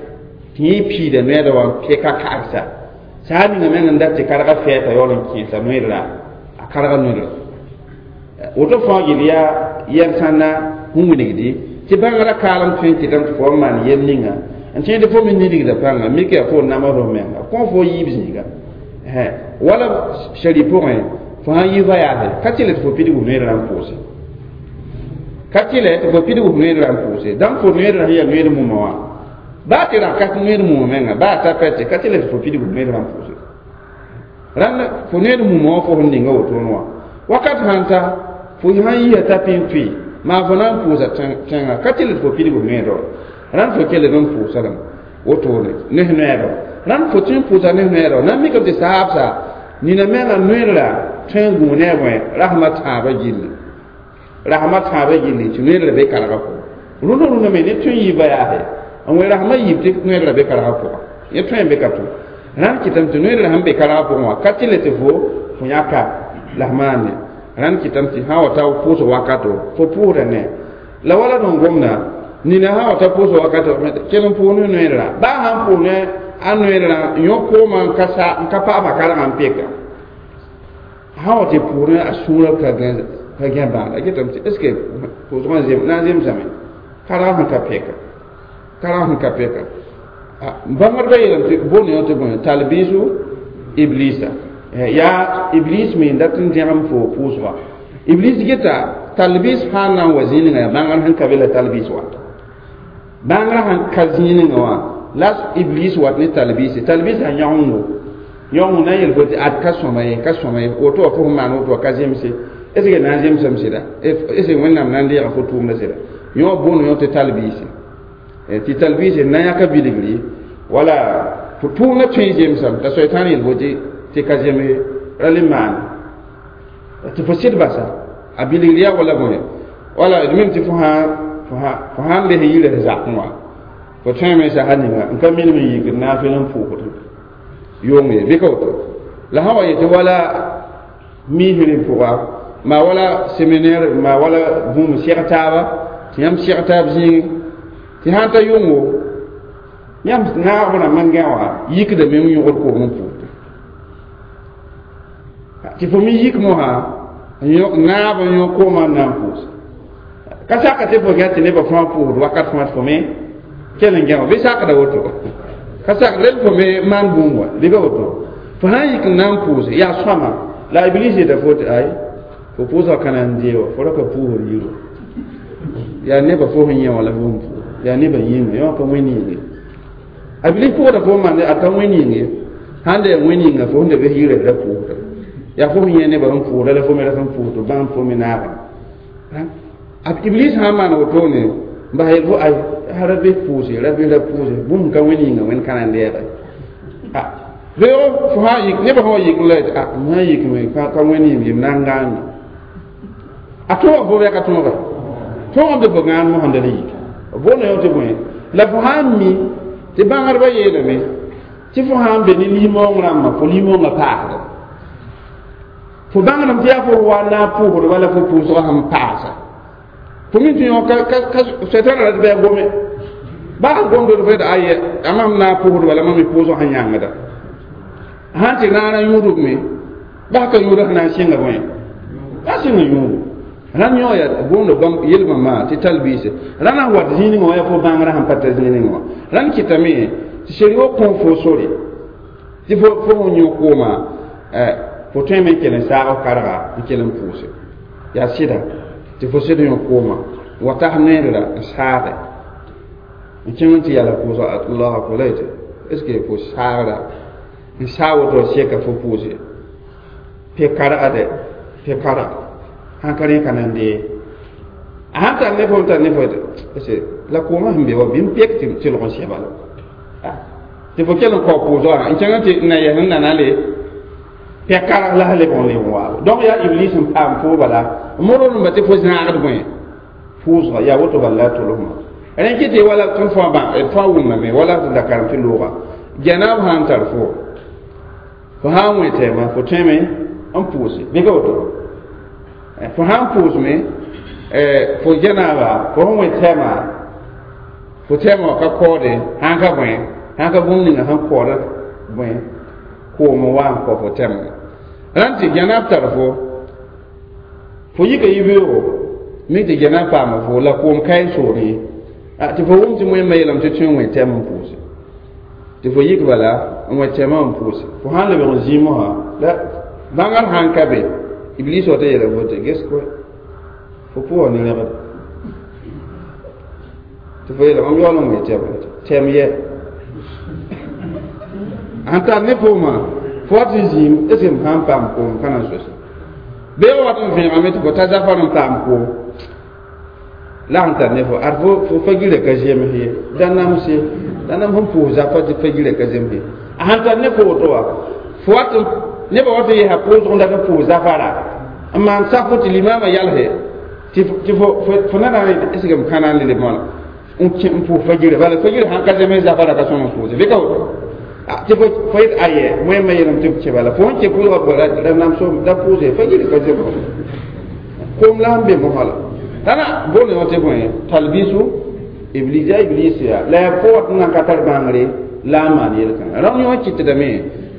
tɩ yẽ piida noɛɛda wã n peka kagsa saa ninga meng n dat tɩ karga fɛɛta yaool n kẽesa noeedra a karga noeedra woto fãa yel yaa yɛl sãnna sẽn wilgdi tɩ bãngrã kaalem tõe n kɩtame tɩ fo n maan yel ninga n tẽed fo me nidgda pãnga mik yaa fo namsd f menga kõ fo yiib zĩiga wala shari pʋgẽ fo sãn yi voyage ka tɩ le tɩ fo pidg f noeedrã n pʋʋse ka tɩ le tɩ fo pidg f noeedrã n pʋʋse dãmb fo noeedrã sẽn yaa noeed mumã wã baa tɩ rã ka noeed mumã menga baa ta pɛtɛ ka tɩ le tɩ fo pidg f noeedrã n pʋʋse rãnd fo noeed mumã wã fo sẽn ninga wotone wã wakat sãn ta fo sãn yia t'a pĩn tʋɩ maa fo na n pʋʋsa tẽngã ka tɩ le tɩ fo pidg f noeedã wã rãnd fo kell n pʋʋsa lame wotone ne noeedã rãnd fo tõe n pʋʋsa ne noeedã na n mikame tɩ saabsa nina menga noeedra tõe n gũu ne a bõe rasmã tãabã gilli rasmã tãabã gilli tɩ noeedra be kargã pʋgã rũndã rũndã me ne tõe n yi voyage n wẽ rasmã yiib tɩ noeedra be kargã pʋgã yẽ tõe n be ka tʋ rãnd kɩtame tɩ noeedra sẽn be kargã pʋgẽ wã ka tɩ le tɩ fo fo yãka la f maane rãnd kɩtame tɩ sã wa ta pʋʋsg wakato fo pʋʋsda ne la wala n gomda nina sã wa ta pʋʋsg wakato kell n pʋʋs ne noeedra baa sãn pʋʋs ne a noeedrã yõ koomã n ka sa n ka paama kargã n peka sã wa tɩ pʋʋs ne a sũurã ka gẽ ka gẽ bãag a getame tɩ est ce que pʋʋsgã zem na n zemsame kargã sẽn ka peka kargã sẽn ka peka bãngdbã yeelame tɩ boond yõ tɩ bõe talbisu iblisa yaa iblis me n dat n dẽgem fo pʋʋsga iblis geta talbis sãn na n wa zĩningã yaa bãngr sẽn ka be la talbis wat bãngrã sãn ka zĩningã wã la iblis wat ne talbis talbis a yãgengo yãgeng na n yel fo tɩ ad ka sõma ye ka sõma ye woto wa fo sẽn maan woto wa ka zemse est ce que na n zemsame sɩda est ce que wẽnnaam na n deega fo tʋʋmdã sɩda Yõ boond yõ tɩ talbiise tɩ talbiise na yãka bilgri wala fo tʋʋmda tõe n zemsame t'a soɛtãan yel fo tɩ ka zems ra le maan tɩ fo sɩd basa a bilgr yaa wala bõe wala d mim tɩ fo fo sãn les yirã zakẽ wã fo tõeme sasa ninga n ka minim n yikd naafɩl n pʋʋsd yʋʋng ye bɩ ka woto la sã wa yetɩ wala miisrẽ pʋga maa wala séminaire maa wala bũmb seg taaba tɩ yãmb seg taab zĩigẽ tɩ sãn ta yʋngo yãmb naagb rãmb n gã wã yikdame n yõgd koom n pʋʋsde tɩ fo me yik mosã naab n yõ koomã n na n pʋʋs ka saka tɩ fo gã tɩ nebã fãa pʋʋsd wakat fãa tɩ fo me kell n gã wã bɩ sakda woto ka sak rel fo me maan bũmb wã bɩ ka woto fo sã n yik n na n pʋʋse yaa sõama la iblis yeta fo tɩ ay fo pʋʋsga ka na n dee wa fo ra ka pʋʋsd yiro yaa nebã fo sẽn yẽ wã la fo sẽn pʋʋs yaa nebã yĩnga yõ ka wẽn yĩnge a iblis pʋgda fo n maande a ka wẽn yĩnge sãn da yaa wẽn yĩnga fo sẽn da bes yirã ra pʋʋsda yaa fo sẽn yẽ nebã sẽn pʋʋsda la fo me ra sẽn pʋʋsd bãmb fo me naagã a iblis sã n maan wotone n bas yel fo ay ra bes pʋʋse ra bes ra pʋʋse bũmb ka wẽn yĩnga wẽn kãna n lɛɛge beoog fo sã yik nebã sã wa yik la a m sã n yikme ka wẽn yĩm yem na n gãande a tõog fo bɩ ka tõoga tõogame tɩ fo gãand mosã da la yik boonda yõ tɩ bõe la fo sã n mi tɩ bãngdbã yeelame tɩ fo sã n be ne lim-maoong rãmbã fo lim-maoongã paasda fo bãngdame tɩ yaa fo wa na n pʋʋsd wala fo pʋʋsgã sẽn paasa fo min tɩ yõ sɛtãn ra tɩ bɩ a gome baa gomdod fo ayɛ a mam na n pʋʋsd wala mam me pʋʋsg sẽn yãngda sãn tɩ rãana yũudb me bas ka yũudã sẽn na n sɩnga bõe a sɩnga yũudu rãnd yõ yaa boonda bãmb yelmã maa tɩ talbiise rãnd sã wat zĩig wã yaa fo bãngrã sẽn pa ta zĩig wã rãnd kɩtame tɩ seri-wo kõ fo sore tɩ fo fo sẽn yõ kooma fo tõeme n kell n saag karga n kell n pʋʋse yaa sɩda tɩ fo sɩd yõ kooma wa tas noeedra n saage n kẽng n tɩ yala pʋʋsga allahu akbar la yetɩ est ce que fo saagra n saa woto seka fo pʋʋse pe kargade pe karg sãn ka rẽ ka nan dee a sãn tar ne fo n tar ne fo est la koomã sẽn be wa bɩ n pek tɩ tɩlg n sɛba la tɩ fo kell n kao pʋʋsgã n kẽng tɩ na yɛs n nana le pe karg la leb n leb n waabo donc yaa iblis n paam fo bala modr tɩ fo zãagd bõe pʋʋsga yaa woto bala la tolsmã rẽ kɩ tɩ wala tõnd fãa bã fãa wʋmame wala tɩ da karem tɩ looga gɛnaab sã n tar fo fo sã n wẽ tɛɛmã fo tõeme n pʋʋse bɩ ka woto fo sã n pʋʋsme fo gɛnaaba fo sẽn wẽ tɛɛmã fo tɛɛmã wã ka kaoode sãn ka bõe sãn ka bũmb ninga sẽn kaooda bõe koom n wa n kao fo tɛm rãnd tɩ gɛnaab tar fo fo yika yibeoogo mi tɩ gɛnaab paama fo la koom ka n sood ye tɩ fo wʋm tɩ wẽnnaam yeelame tɩ tõe n wẽ tɛm n pʋʋse tɩ fo yik bala n wẽ tɛmã n pʋʋse fo sã n lebg n zĩig mosã la bãngr sãn ka be iblis wa tɩ yeela fo tɩ ges koe fo pʋʋsa ne rẽgd tɩ fo yeela mam yaool n wẽ tɛm tɛm yɛ sãn tar ne foomã fo wat n zĩim est ce que m sã n paam koom ka na n sosa bee wat n vẽegame tɩ fo ta zafar n paam koom la sẽn tar ne fo ad fo fo fagirã ka zems ye da namse da nam sẽn pʋʋs zafa tɩ fagirã ka zems ye a sãn tar ne fo woto wa fo wat nebã wat n yesa pʋʋsg n dat n pʋʋs zafara n maan safo tɩ limaamã yalse tɩ fo na na est ce que m ka na n le lebg wãna n kẽ n pʋʋs fagirã bala fagirã sãn ka zems zafara ka sõm n pʋʋse bɩ ka woto tɩ fo fo yet ayɛ wẽnnaam yeelame tɩ b kẽ bala fo sẽn kẽ pʋʋsga ra namso da pʋʋse fagirã ka zems koom la sẽn be mosã la tãna boond yõ tɩ bõe talbisu iblis yaa iblis yaa la yaa fo wat n nan ka tar bãngre la n maan yel-kãnga rãmb yõ kɩtdame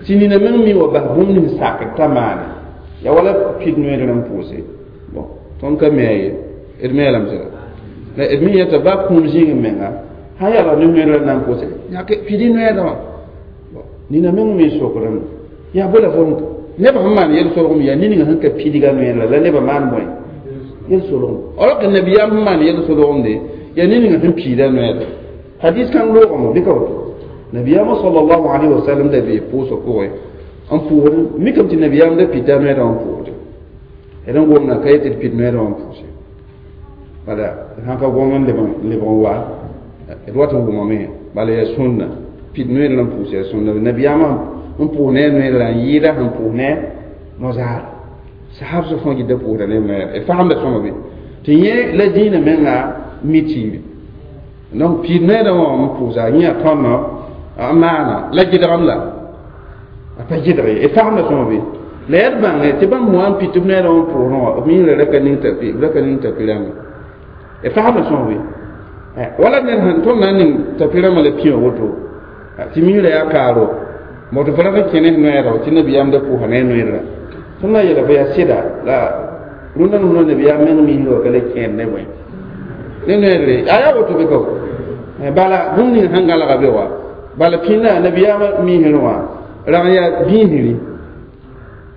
tɩ nina meng mi wa bas bũmb nins sakd t'a maane yaa wala pid noeedr n pʋʋse bon tõnd ka me a ye d me lame sɩda la d mi yãta baa kũum zĩig menga sã yaa ne noeedrã na n pʋʋse yãke pid noeedã wã nina meng me sokrame yaa bo la fo nebã sẽn maan yel-solgem yaa niningã sẽn ka pidga noeedrã la nebã maan bõe yel-solgem alors que nabiyaam sẽn maan yel-solgemde yaa niningã sẽn piida noeedrã hadis kãng loogame bɩ ka woto nabiyaamã sallallahu alaihi wasallam da bee pʋʋsã pʋgẽ n pʋʋsd mikame tɩ nabiyaam da pita noeedã wã n pʋʋsde d n gomda ka yetɩ d pid noeedã wã n pʋʋse Bala sãn ka gom n leb n wa d wat n wʋmame bala yaa sũnna pid noeer n pʋʋs yaa sũnna nabiyaamã n pʋʋs ne a noeer la n yɩɩda sẽn pʋʋs ne no-zaar sahab sã fãa gɩda pʋʋsda ne noeer d fagemda sõma be tɩ yẽ la zĩinã menga mi tɩɩbe donc piid noeerã wã n pʋʋsa yẽ yaa tõndã n maana la gɩdgem la a pa gɩdg ye d fagemda sõma be la yaa d bãnge tɩ bãmb wã n pid tɩ b noeerã wã n pʋʋsẽ wã b miisra ra ka ning tapi ra ka ning tapi rãmba d fagemda sõma be wala ned sẽn tõnd na n ning tapi rãmbã la pĩwã woto tɩ miisra yaa kaaro mo tɩ fo rat n kẽ ne noeerã tɩ nabiyaam da pʋʋsa ne a noeerã tõnd na n yeela fo yaa sɩda la rũndã nusã nabiyaam meng miisra wã ka le kẽed ne bõe ne noeere a yaa woto be ka bala bũmb ning sẽn gãlga be wa bala pĩnda nabiyaamã miisr wã rag n yaa bĩisri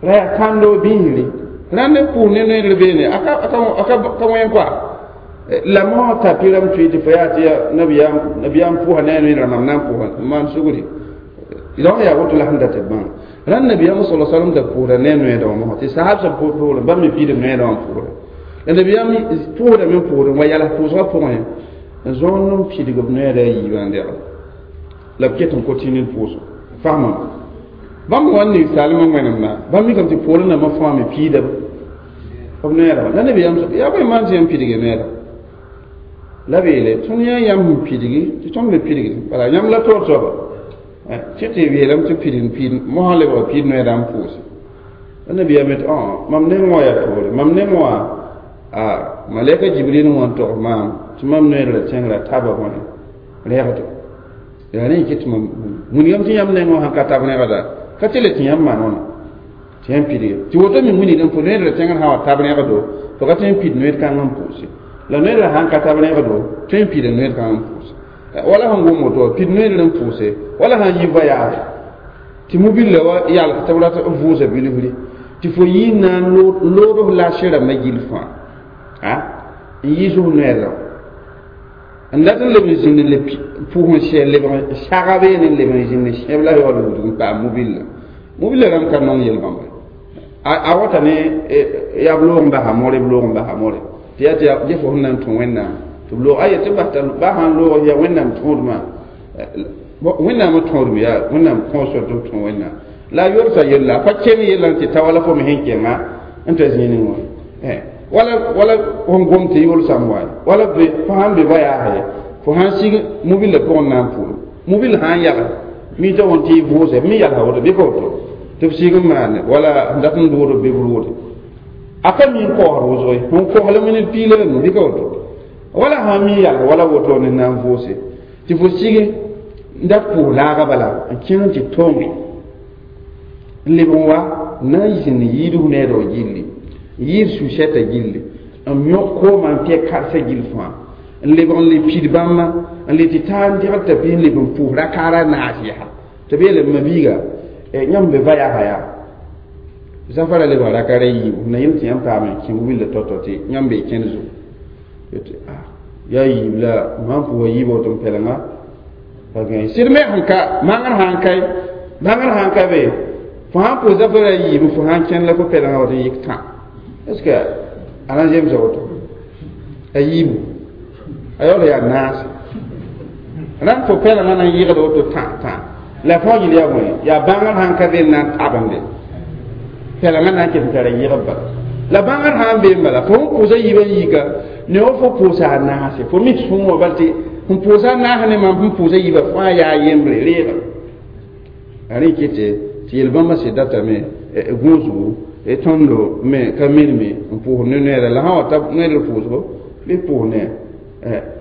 ra yaa kãndo bĩisri rãnd n pʋʋs ne noeer beene a ka wẽn koa la mosã tapi rãmb tʋɩ tɩ fo yaa tɩ nabiyaam nabiyaam pʋʋsa ne a noeerã mam na n pʋʋsa n maan sugri donc yaa woto la sẽn dat b bãng rãnd nabiyaam sala salam da pʋʋsda ne a noeedã wã mosã tɩ sahab sẽn pʋʋsd bãmb me piidb noeedã wã pʋʋsda la nabiyaam pʋʋsdame n pʋʋsd n wa yals pʋʋsgã pʋgẽ n zõond n pidg b noeeda a yiibã n dɛgl la b ket n kotɩ ne pʋʋsg fahmã bãmb wa n ning saalmã wẽnemda bãmb mikame tɩ poorẽ nambã fãa me piida b noeeda la nabiyaam yaa bõe maan tɩ yãmb pidge noeeda la b yeele tõnd yã yãmb sẽn pidgi tɩ tõnd me pidgi bala yãmb la toor soaba tɩ tɩ yeelame tɩ pid n piid mosã lebga piid noeeda n pʋʋse la nabiyaam yetɩ mam neng wã yaa toore mam neng wã a malɛka jibril wã n tog maam tɩ mam noeer la tẽngrã taba bõe rɛgdo yaa rẽ kɩ tɩ mam wilgame tɩ yãmb neng wã sãn ka tab rẽgda ka tɩ le tɩ yãmb maan wãna tɩ yãmb pidge tɩ woto me wilgame fo noeer la tẽngr sã wa tab rẽgdo fo ka tõe n pid noeer kãng n pʋʋse la noeer la sãn ka tab rẽgdo tõe n pida noeer kãng n pʋʋse wala sẽn gom woto pid noeer n pʋʋse wala sãn yi voyage tɩ mobile wa yals tɩ b rat n vʋʋsa bilfri tɩ fo yɩ n na n lood f lasẽ rãmbã gill fãa a n yiis f noeerã n dat n leb n zĩnd n le pʋʋs n sɛ lebg saga beene n leb n zĩnd n sẽb la yaool wudg n paam mobile mobile rãmb ka nong yel-bãmba a wata ne yaa b loog n basa more b loog n basa more tɩ yaa tɩ yaa fo sẽn na n tũ wẽnnaam tɩ b loog a yetɩ bas t'a ba sãn loog yaa wẽnnaam tõodmã wẽnnaamã tõodme yaa wẽnnaam kõo sor tɩ b tũ wẽnnaam la a yolsa yella a pa keng yellã tɩ ta wala fo me sẽn kẽnga n ta zĩining wã wala wala fõn gom tɩ yolsame wa wala be fo sãn be voyage fo sãn sig mobile pʋgẽ na n pʋʋl mobile sãn yals mi t'a wõn tɩ y vʋʋse b me yalsa woto bɩ ka woto tɩ b sig n maane wala n dat n dood b bɩ b roode a ka mi n kaoosd wʋsg ye sẽn koslame ne piila rãmb bɩ ka woto wala sãn mi yals wala woto ne na n vʋʋse tɩ fo sig n dat pʋʋs laaga bala n kẽng tɩ tõnge n leb n wa n na n zĩnd yiid f needg gilli n yɩɩd su-sɛta gilli n yõk koomã n pɛ karsã gill fãa n lebg n le pid bãmba n le tɩ taa n degl t'a pis n leb n pʋʋs rakaara naas yaa tɩ b yeele ma biiga yãmb be va-yasa yaa zafara lebg rakaara yiibu na yel tɩ yãmb paam n kẽ willa tao-tao tɩ yãmb bee kẽnd zugu tɩ yaa yiib la mam pʋʋsa yiib woto n pɛlenga pa gãe sɩd me sẽn ka mangr sãn kae bãngr sãn ka be fo sãn pʋʋs zafara yiibu fo sãn kẽnd la fo pɛlenga wat n yik tã est ce que a na zemsa woto a yiibu a yaool yaa naase rãnd fo pɛlenga na n yɩgd woto tã tã la fõ yel yaa bõe yaa bãngr sãn ka be n na n tabende pɛlenga na n ket n tara yɩgb bala la bãngr sãn be n bala fo n pʋʋsa yiibã yika ne wa fo pʋʋsa a naase fo mi sũurã bal tɩ n pʋʋsa a naas ne mam sẽn pʋʋsa yiibã fãa yaa yembre reega a rẽ kɩtɩ tɩ yel-bãmbã sɩd datame gũusgu tõndo me ka mirme n pʋʋs ne noeera la sã wa ta noeer pʋʋsgo bɩ pʋʋs ne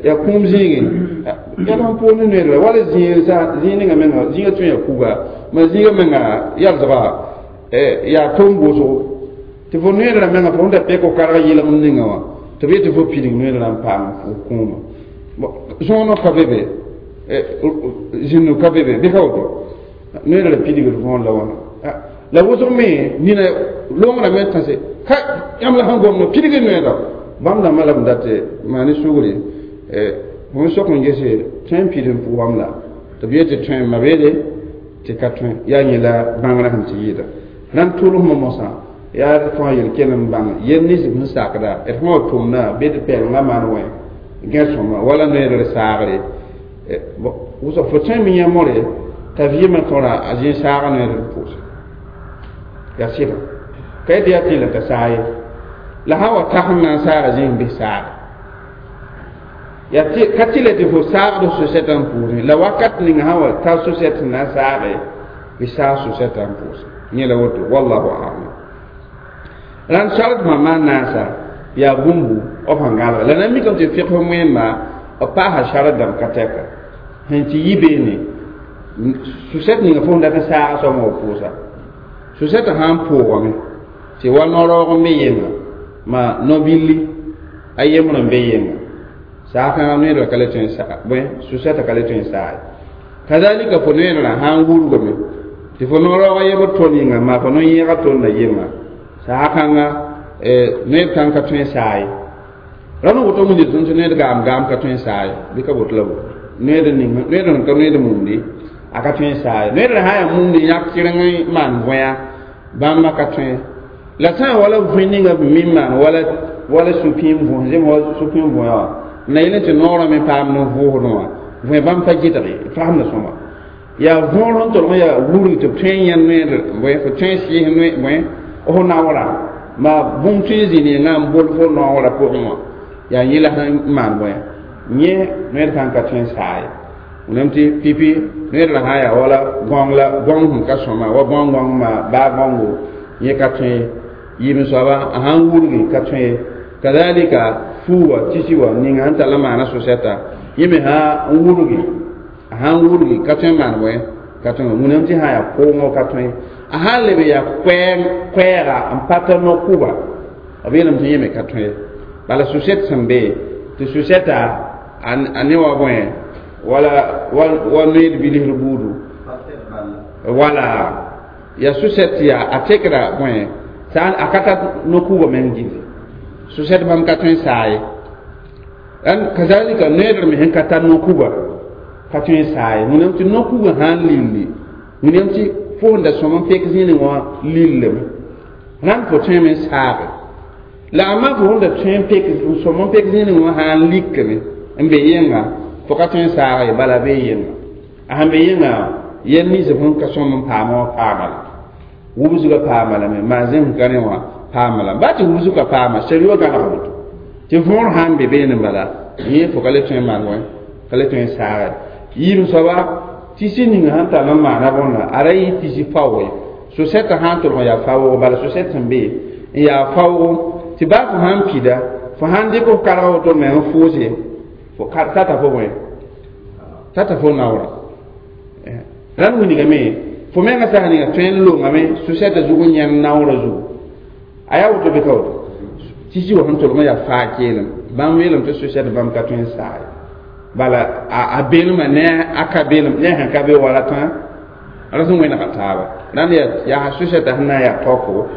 yaa kũum zĩigẽ yaa sẽn pʋʋs ne noeer la wala zĩig ninga menga zĩiga tõe yaa kuga ma zĩiga menga yalsga yaa tom wʋsgo tɩ fo noeerã menga fo sẽn da pɛk f karg yɩlg n ninga wã tɩ b yetɩ fo pidig noeerã n paam fo kũumã zõonã ka be be zĩnnu ka be be bɩ ka woto noeerã la pidigd võor la wãna la wʋsg me nina loongrã me tãse ka yãmb la sẽn gomd pidg noeera bãmb dãmbã la b dat maan ne sugre fo sok n gese tõe n pid n pʋʋsam la tɩ b yetɩ tõe ma beede tɩ ka tõe yaa yẽ la bãngrã sẽn tɩ yɩɩda rãnd tʋlsmã mosã Yaa d tõa yel-ken n bãng yel nins b sẽn sakda d sẽn wa tʋmda bɩ d pɛlenga maan wẽ gãe sõma wala noeedr saagre wʋsg fo tõe n mi yã more t'a vɩɩmã tõra a zĩ saaga noeedr pʋʋse yaa sɩda ka yetɩ yaa tẽe la t'a saag ye la sã wa tas n na n saaga zĩig n bɩs saage yaa ka tɩ la tɩ fo saagd so-sɛtã n pʋʋsẽ la wakat ning sã wa ta so-sɛt sẽn na n saage bɩ saag so-sɛtã n pʋʋsẽ yẽ la woto wallahu alam rãnd sardmã maan naasa yaa bũmbu b sẽn gãlga la na mikame tɩ fiqf wẽnma b paasa sard dãmb ka tɛka sẽn tɩ yi beene su-sɛt ninga fo sẽn dat n saaga soab wã pʋʋsa su-sɛtã sã n pʋʋgame tɩ wa no-raoog n be yẽnga ma no-billi a yembr n be yẽnga saag-kãngã noeedrã ka le tõe n saa bõe su-sɛtã ka le tõe n saa ye kazalika fo noeedrã sã n wurgame tɩ fo no-raoog a yembr tõnd yĩnga maa fo no-yẽegã tõnda yemma saag-kãngã noed kãng ka tõe n saa ye rãmb woto wĩnda tõnd tɩ noed gaam gaam ka tõe n saa ye bɩ ka boto la bo noed ning noed sẽn ka noed mumdi a ka tõe n saa ye noed sã yaa mumdi yãk kɩreng n maan võya bãmba ka tõe la sã n wala vẽ ninga b min maan wala wala supĩim võs zem wa supĩim võya wã na yel tɩ noorã me paam ne vʋʋsdẽ wã võe bãmb pa gɩdge fasemda sõma yaa võor sẽn tolg n yaa wurg tɩ b tõe n yã noeed bõe fo tõe n sɩɩs noe bõe fo naoora ma bũmb tõe n zĩ nengã n bol fo naoorã pʋgẽ wã yaa yẽ la sẽn maan bõe yẽ noed kãng ka tõe n saa ye wẽnnaam tɩ pipi noeedrã sã yaa wala gõng la gõng sẽn ka sõma wa gõng gõng ma baa gõngo yẽ ka tõe yɩɩm soaba a sãn wurgi ka tõe kazalika fuu wa tisi wa ninga sẽn tall n maana so-sɛta yẽ me sã n wurgi a sã n wurgi ka tõe n maan bõe ka tõe wẽnnaam tɩ sã yaa koongo ka tõe a sã n leb yaa koɛɛga n pa tar no-kʋba b yeelame tɩ yẽ me ka tõe bala so-sɛt sẽn be tɩ so-sɛta a ne wa bõe wala wa noeed bilisd buudu wala yaa so-sɛt yaa a tekra bõe sã a ka tar no-kʋba meng gilli so-sɛt bãmb ka tõe n saa ye rãnd kazalika noeedr me sẽn ka tar no-kuga ka tõe n saa ye wẽnnaam tɩ no-kugã sã n lilli wẽnnaam tɩ fo sẽn da sõm n pek zĩnig wã lillame rãnd fo tõeme n saage la a maa fo sẽn da tõe n pek n sõm n pek zĩnig wã sã n likame n be yẽnga fo ka tõe n saaga ye bala bee yẽnga a sẽn be yẽnga yɛl nins sẽn ka sõm n paama wã paama la wubsgã paama lame maa zẽm ka rẽ wã paama la baa tɩ wubsg ka paama sariwa gãneg woto tɩ võor sã n be beene bala yẽ fo ka le tõe n maan wã ka le tõe n saaga yiim soaba tɩ ninga sẽn tar n maana bõnda a ra yɩ tɩ faoog ye so-sɛtã sã n tolg n yaa faoogo bala so-sɛt sẽn be n yaa faoogo tɩ baa fo sã n pida fo sã n dɩk f karga woto meng n fʋʋse fo tata fo bõe tata fo naoora rãnd wilgame fo menga sã ninga tõe n longame so-sɛtã zug n yãnd naoorã zugu a yaa woto bɩ ka woto tɩ wa sẽn tolg n yaa faa keelem bãmb yeelame tɩ so-sɛt bãmb ka tõe n saa ye bala a beelmã ne a ka beelem ne sẽn ka be wala tã ra sẽn wẽnega taaba rãnd yaa yaa so-sɛtã sẽn na n yaa taoko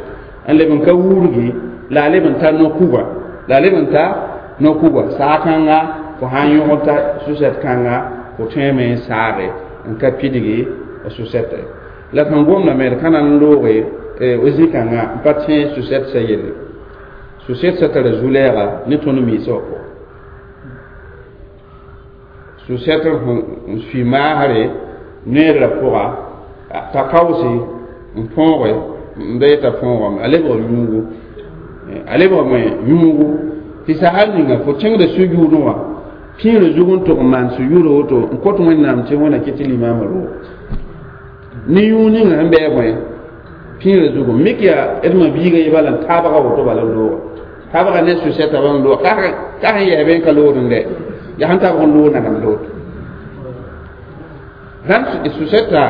n leb n ka wurgi la a leb n ta no-kuga la a leb n ta no-kuga saag-kãnga fo sã n yõgd ta so-sɛt kãnga fo tõeme n saage n ka pidgi so-sɛta la sẽn gomdame d ka na n looge zĩ-kãngã n pa tẽ so-sɛt sã yelle so-sɛt sã tara zu-lɛɛga ne tõnd miisã wã pʋgẽ so-sɛt n sui maasre noeedrã pʋga t'a kaoose n põoge n da yeta põogame a lebg yũugu a lebgame yũugu tɩ sahal ninga fo kẽngda sũ-yʋʋdẽ wã pĩirã zug n tʋg n maan sũ-yʋʋdã woto n kõt wẽnnaam tɩ wẽna kɩ tɩ limaamã roog ne yũug ninga sẽn bɩ bõe pĩirã zugu mik yaa d ma biiga ye bala n taabga woto bala n looga taabga ne su-sɛta bala n looga ka sẽn yɛɛ bee n ka lood n dɛ yaa sẽn tabg n loog nagam lood rãnd su-sɛta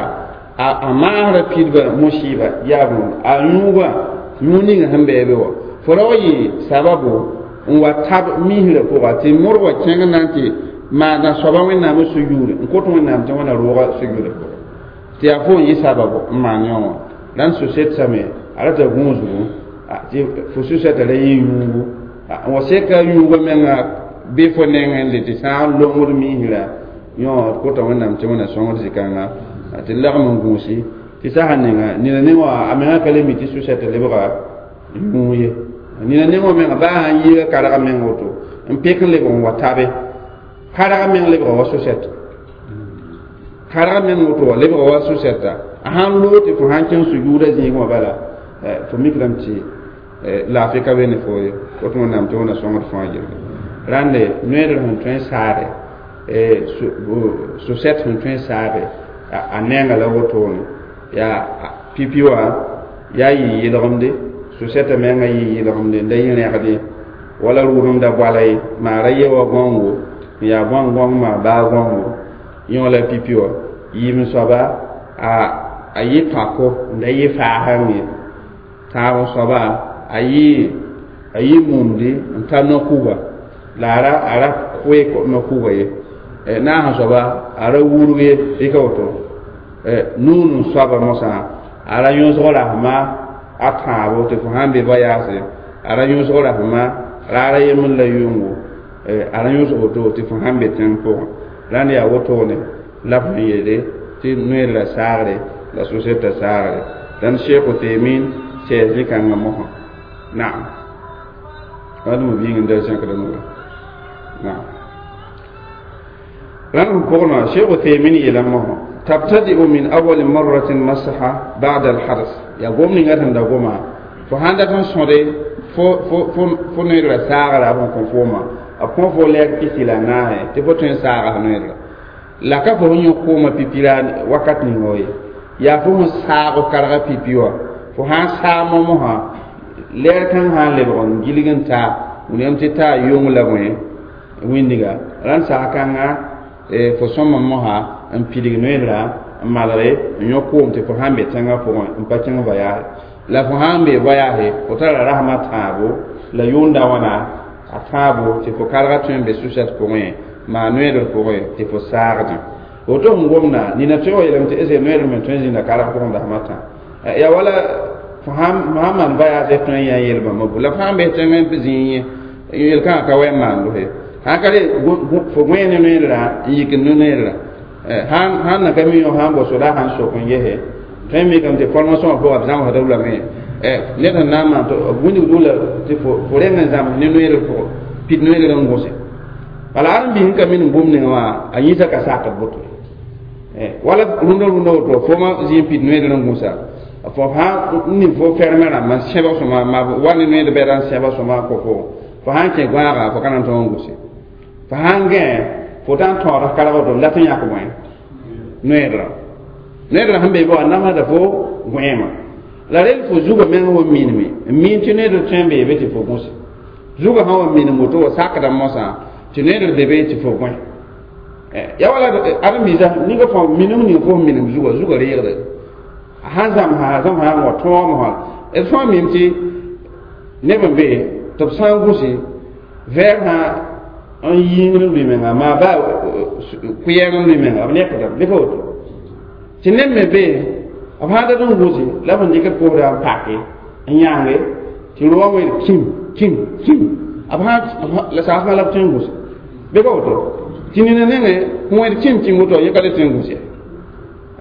a maasrã pidba musɩɩba yaa bũmb a yũuga yũug ninga sẽn bɩ be wã fo ra wa yɩ sababu n wa tab misrã pʋga tɩ modg wa kẽng na n tɩ maana soaba wẽnnaamã su-yʋʋre n kõt wẽnnaam tɩ wẽna rooga su-yʋʋrã pʋgẽ tɩ yaa fo n yɩ sababu n maan yõ wã rãnd su-sɛt same a rata gũusgu tɩ fo su-sɛta ra yɩ yũugu n wa seka yũugã menga bɩ fo nengẽ le tɩ sã n longd misrã yõ d kota wẽnnaam tɩ wẽna sõngd zĩ-kãnga tɩ lagm n gũusi tɩ sasa ninga nina ne wã a menga ka le mi tɩ su-sɛt lebga yũu ye nina nengã menga baa sãn yiiga karga meng woto n pek n lebg n wa tabe karga meng lebga wa so-sɛt karga meng woto wa lebga wa so-sɛta a sãn loog tɩ fo sãn kẽng sujuuda zĩigẽ wã bala fo mikrame tɩ laafɩ ka be ne fo ye woto wẽnnaam tɩ wẽnna sõngd fãa yelle rãnde noeedr sẽn tõe n saade so-sɛt sẽn tõe n saade a nenga la wotone yaa pipi wã yaa yɩ yɩlgemde so-sɛtã menga yɩ yɩlgemde n da yɩ rẽgde wala rʋʋnemda bala ye maara ye wa gãongo n yaa gãong-gãong maa baa gãongo yõ la pipi wã yiim soaba a a yɩ pako n da yɩ faasãng ye tãab soaba a yɩ a yɩ mumdi n ta no-kuga la a ra a ra koe no-kuga ye naasã soaba a ra wurg ye rɩka woto nuun n soaba mosã a ra yõsg rasma a tãabo tɩ fo sãn be voyage a ra yõsg rasma raara yembr la yʋngo a ra yõsg woto tɩ fo sãn be tẽng pʋgẽ rãnd yaa wotone la b sẽn yeele tɩ noeer la saagre la so-sɛtã saagre dãn Sheikh Uthaymin sɛɛs rẽ-kãngã mosã naam wadme biig n da zẽkd nuga naam rãnd sẽn pʋgẽ Sheikh Uthaymin yeela mosã تبتدئ من أول مرة مسح بعد الحدث يا قوم نيغا تندا قوما فهاندا تن سودي فو فو فو فو نيغا ساغرا بون كون فوما a fo lɛg pisi la naase tɩ fo tõe n saaga noeedra la ka fo yõ kooma pipira wakat ning ye yaa fo sẽn saag karga pipi wã fo sãn saag momosã lɛɛr kãng sã n lebg n gilg n taa wilgame tɩ taa yong la bõe wĩndiga rãnd sag kãnga fo sõma mosã n pidig noeedra n malge n yõ koom tɩ fo sãn be tẽngã pʋgẽ n pa kẽng voyage la fo sãn be voyage fo tara rasmã tãabo la yʋʋnda wãna a tãabo tɩ fo karga tõe n be su-sɛt pʋgẽ maa noeedr pʋgẽ tɩ fo saagdẽ woto sẽn gomda nina tõe wa yeelame tɩ ese noeedr me tõe n zĩnda karg pʋgẽ dasmã tã ya wala fo sãn maan voyage tõe n yã yel bãmba bu la fo sãn bes tẽng n zĩig yẽ yel-kãngã ka wa n maando ye sãn ka re fo gõe ne noeedra n yik n noeedra sãn na ka mi yõ sãn bao soda sãn sok n gese tõe n mikame tɩ formation wã pʋga b zãmsda lame ned sẽn na n maan tɩ wĩndg dʋla tɩ fo reng n zãms ne noeedr pʋgẽ pid noeedr n gõse bala ãrem-biis n ka minim bũmb ninga wã a yĩsã ka sakd boto wala rũndã rũndã woto foma zĩ n pid noeedr n gũsa fo sãn n ning fo fermẽ rãmba n sẽbg sõma ma wa ne noeed bɛda n sẽbg sõma n kõ fo fo sãn kẽ gãaga fo ka na n tõog n gũse fo sãn gẽ fo tã n tõod karg woto n dat n yãk bõe noeedrã noeedrã sẽn be be wã namsda fo gõeemã la rel fo zugã meng wa minime n min tɩ noeedr tõe n beebe tɩ fo gũse zugã sã wa minim woto wa sakda mosã tɩ noeedr be be tɩ fo gõe ya wala ãrem-biisã ninga fõ minim ning fo minim zugã zugã reegde sãn zãmsã zãmsã n wa tõog mosã d fãa mim tɩ neb n be tɩ b sã n gũse vɛɛg sã n yĩngr n lʋɩ menga maa baa kʋyɛng n lʋɩ menga b nekdame bɩ ka woto tɩ neb me be b sãn dat n gũse la b sẽn dɩk b kosda n pake n yãnge tɩ roogã weel kim kim kim b sãn la saasmã la b tõe n gũse bɩ ka woto tɩ nina nengẽ wẽd kim kim woto yẽ ka le tõe n gũs ye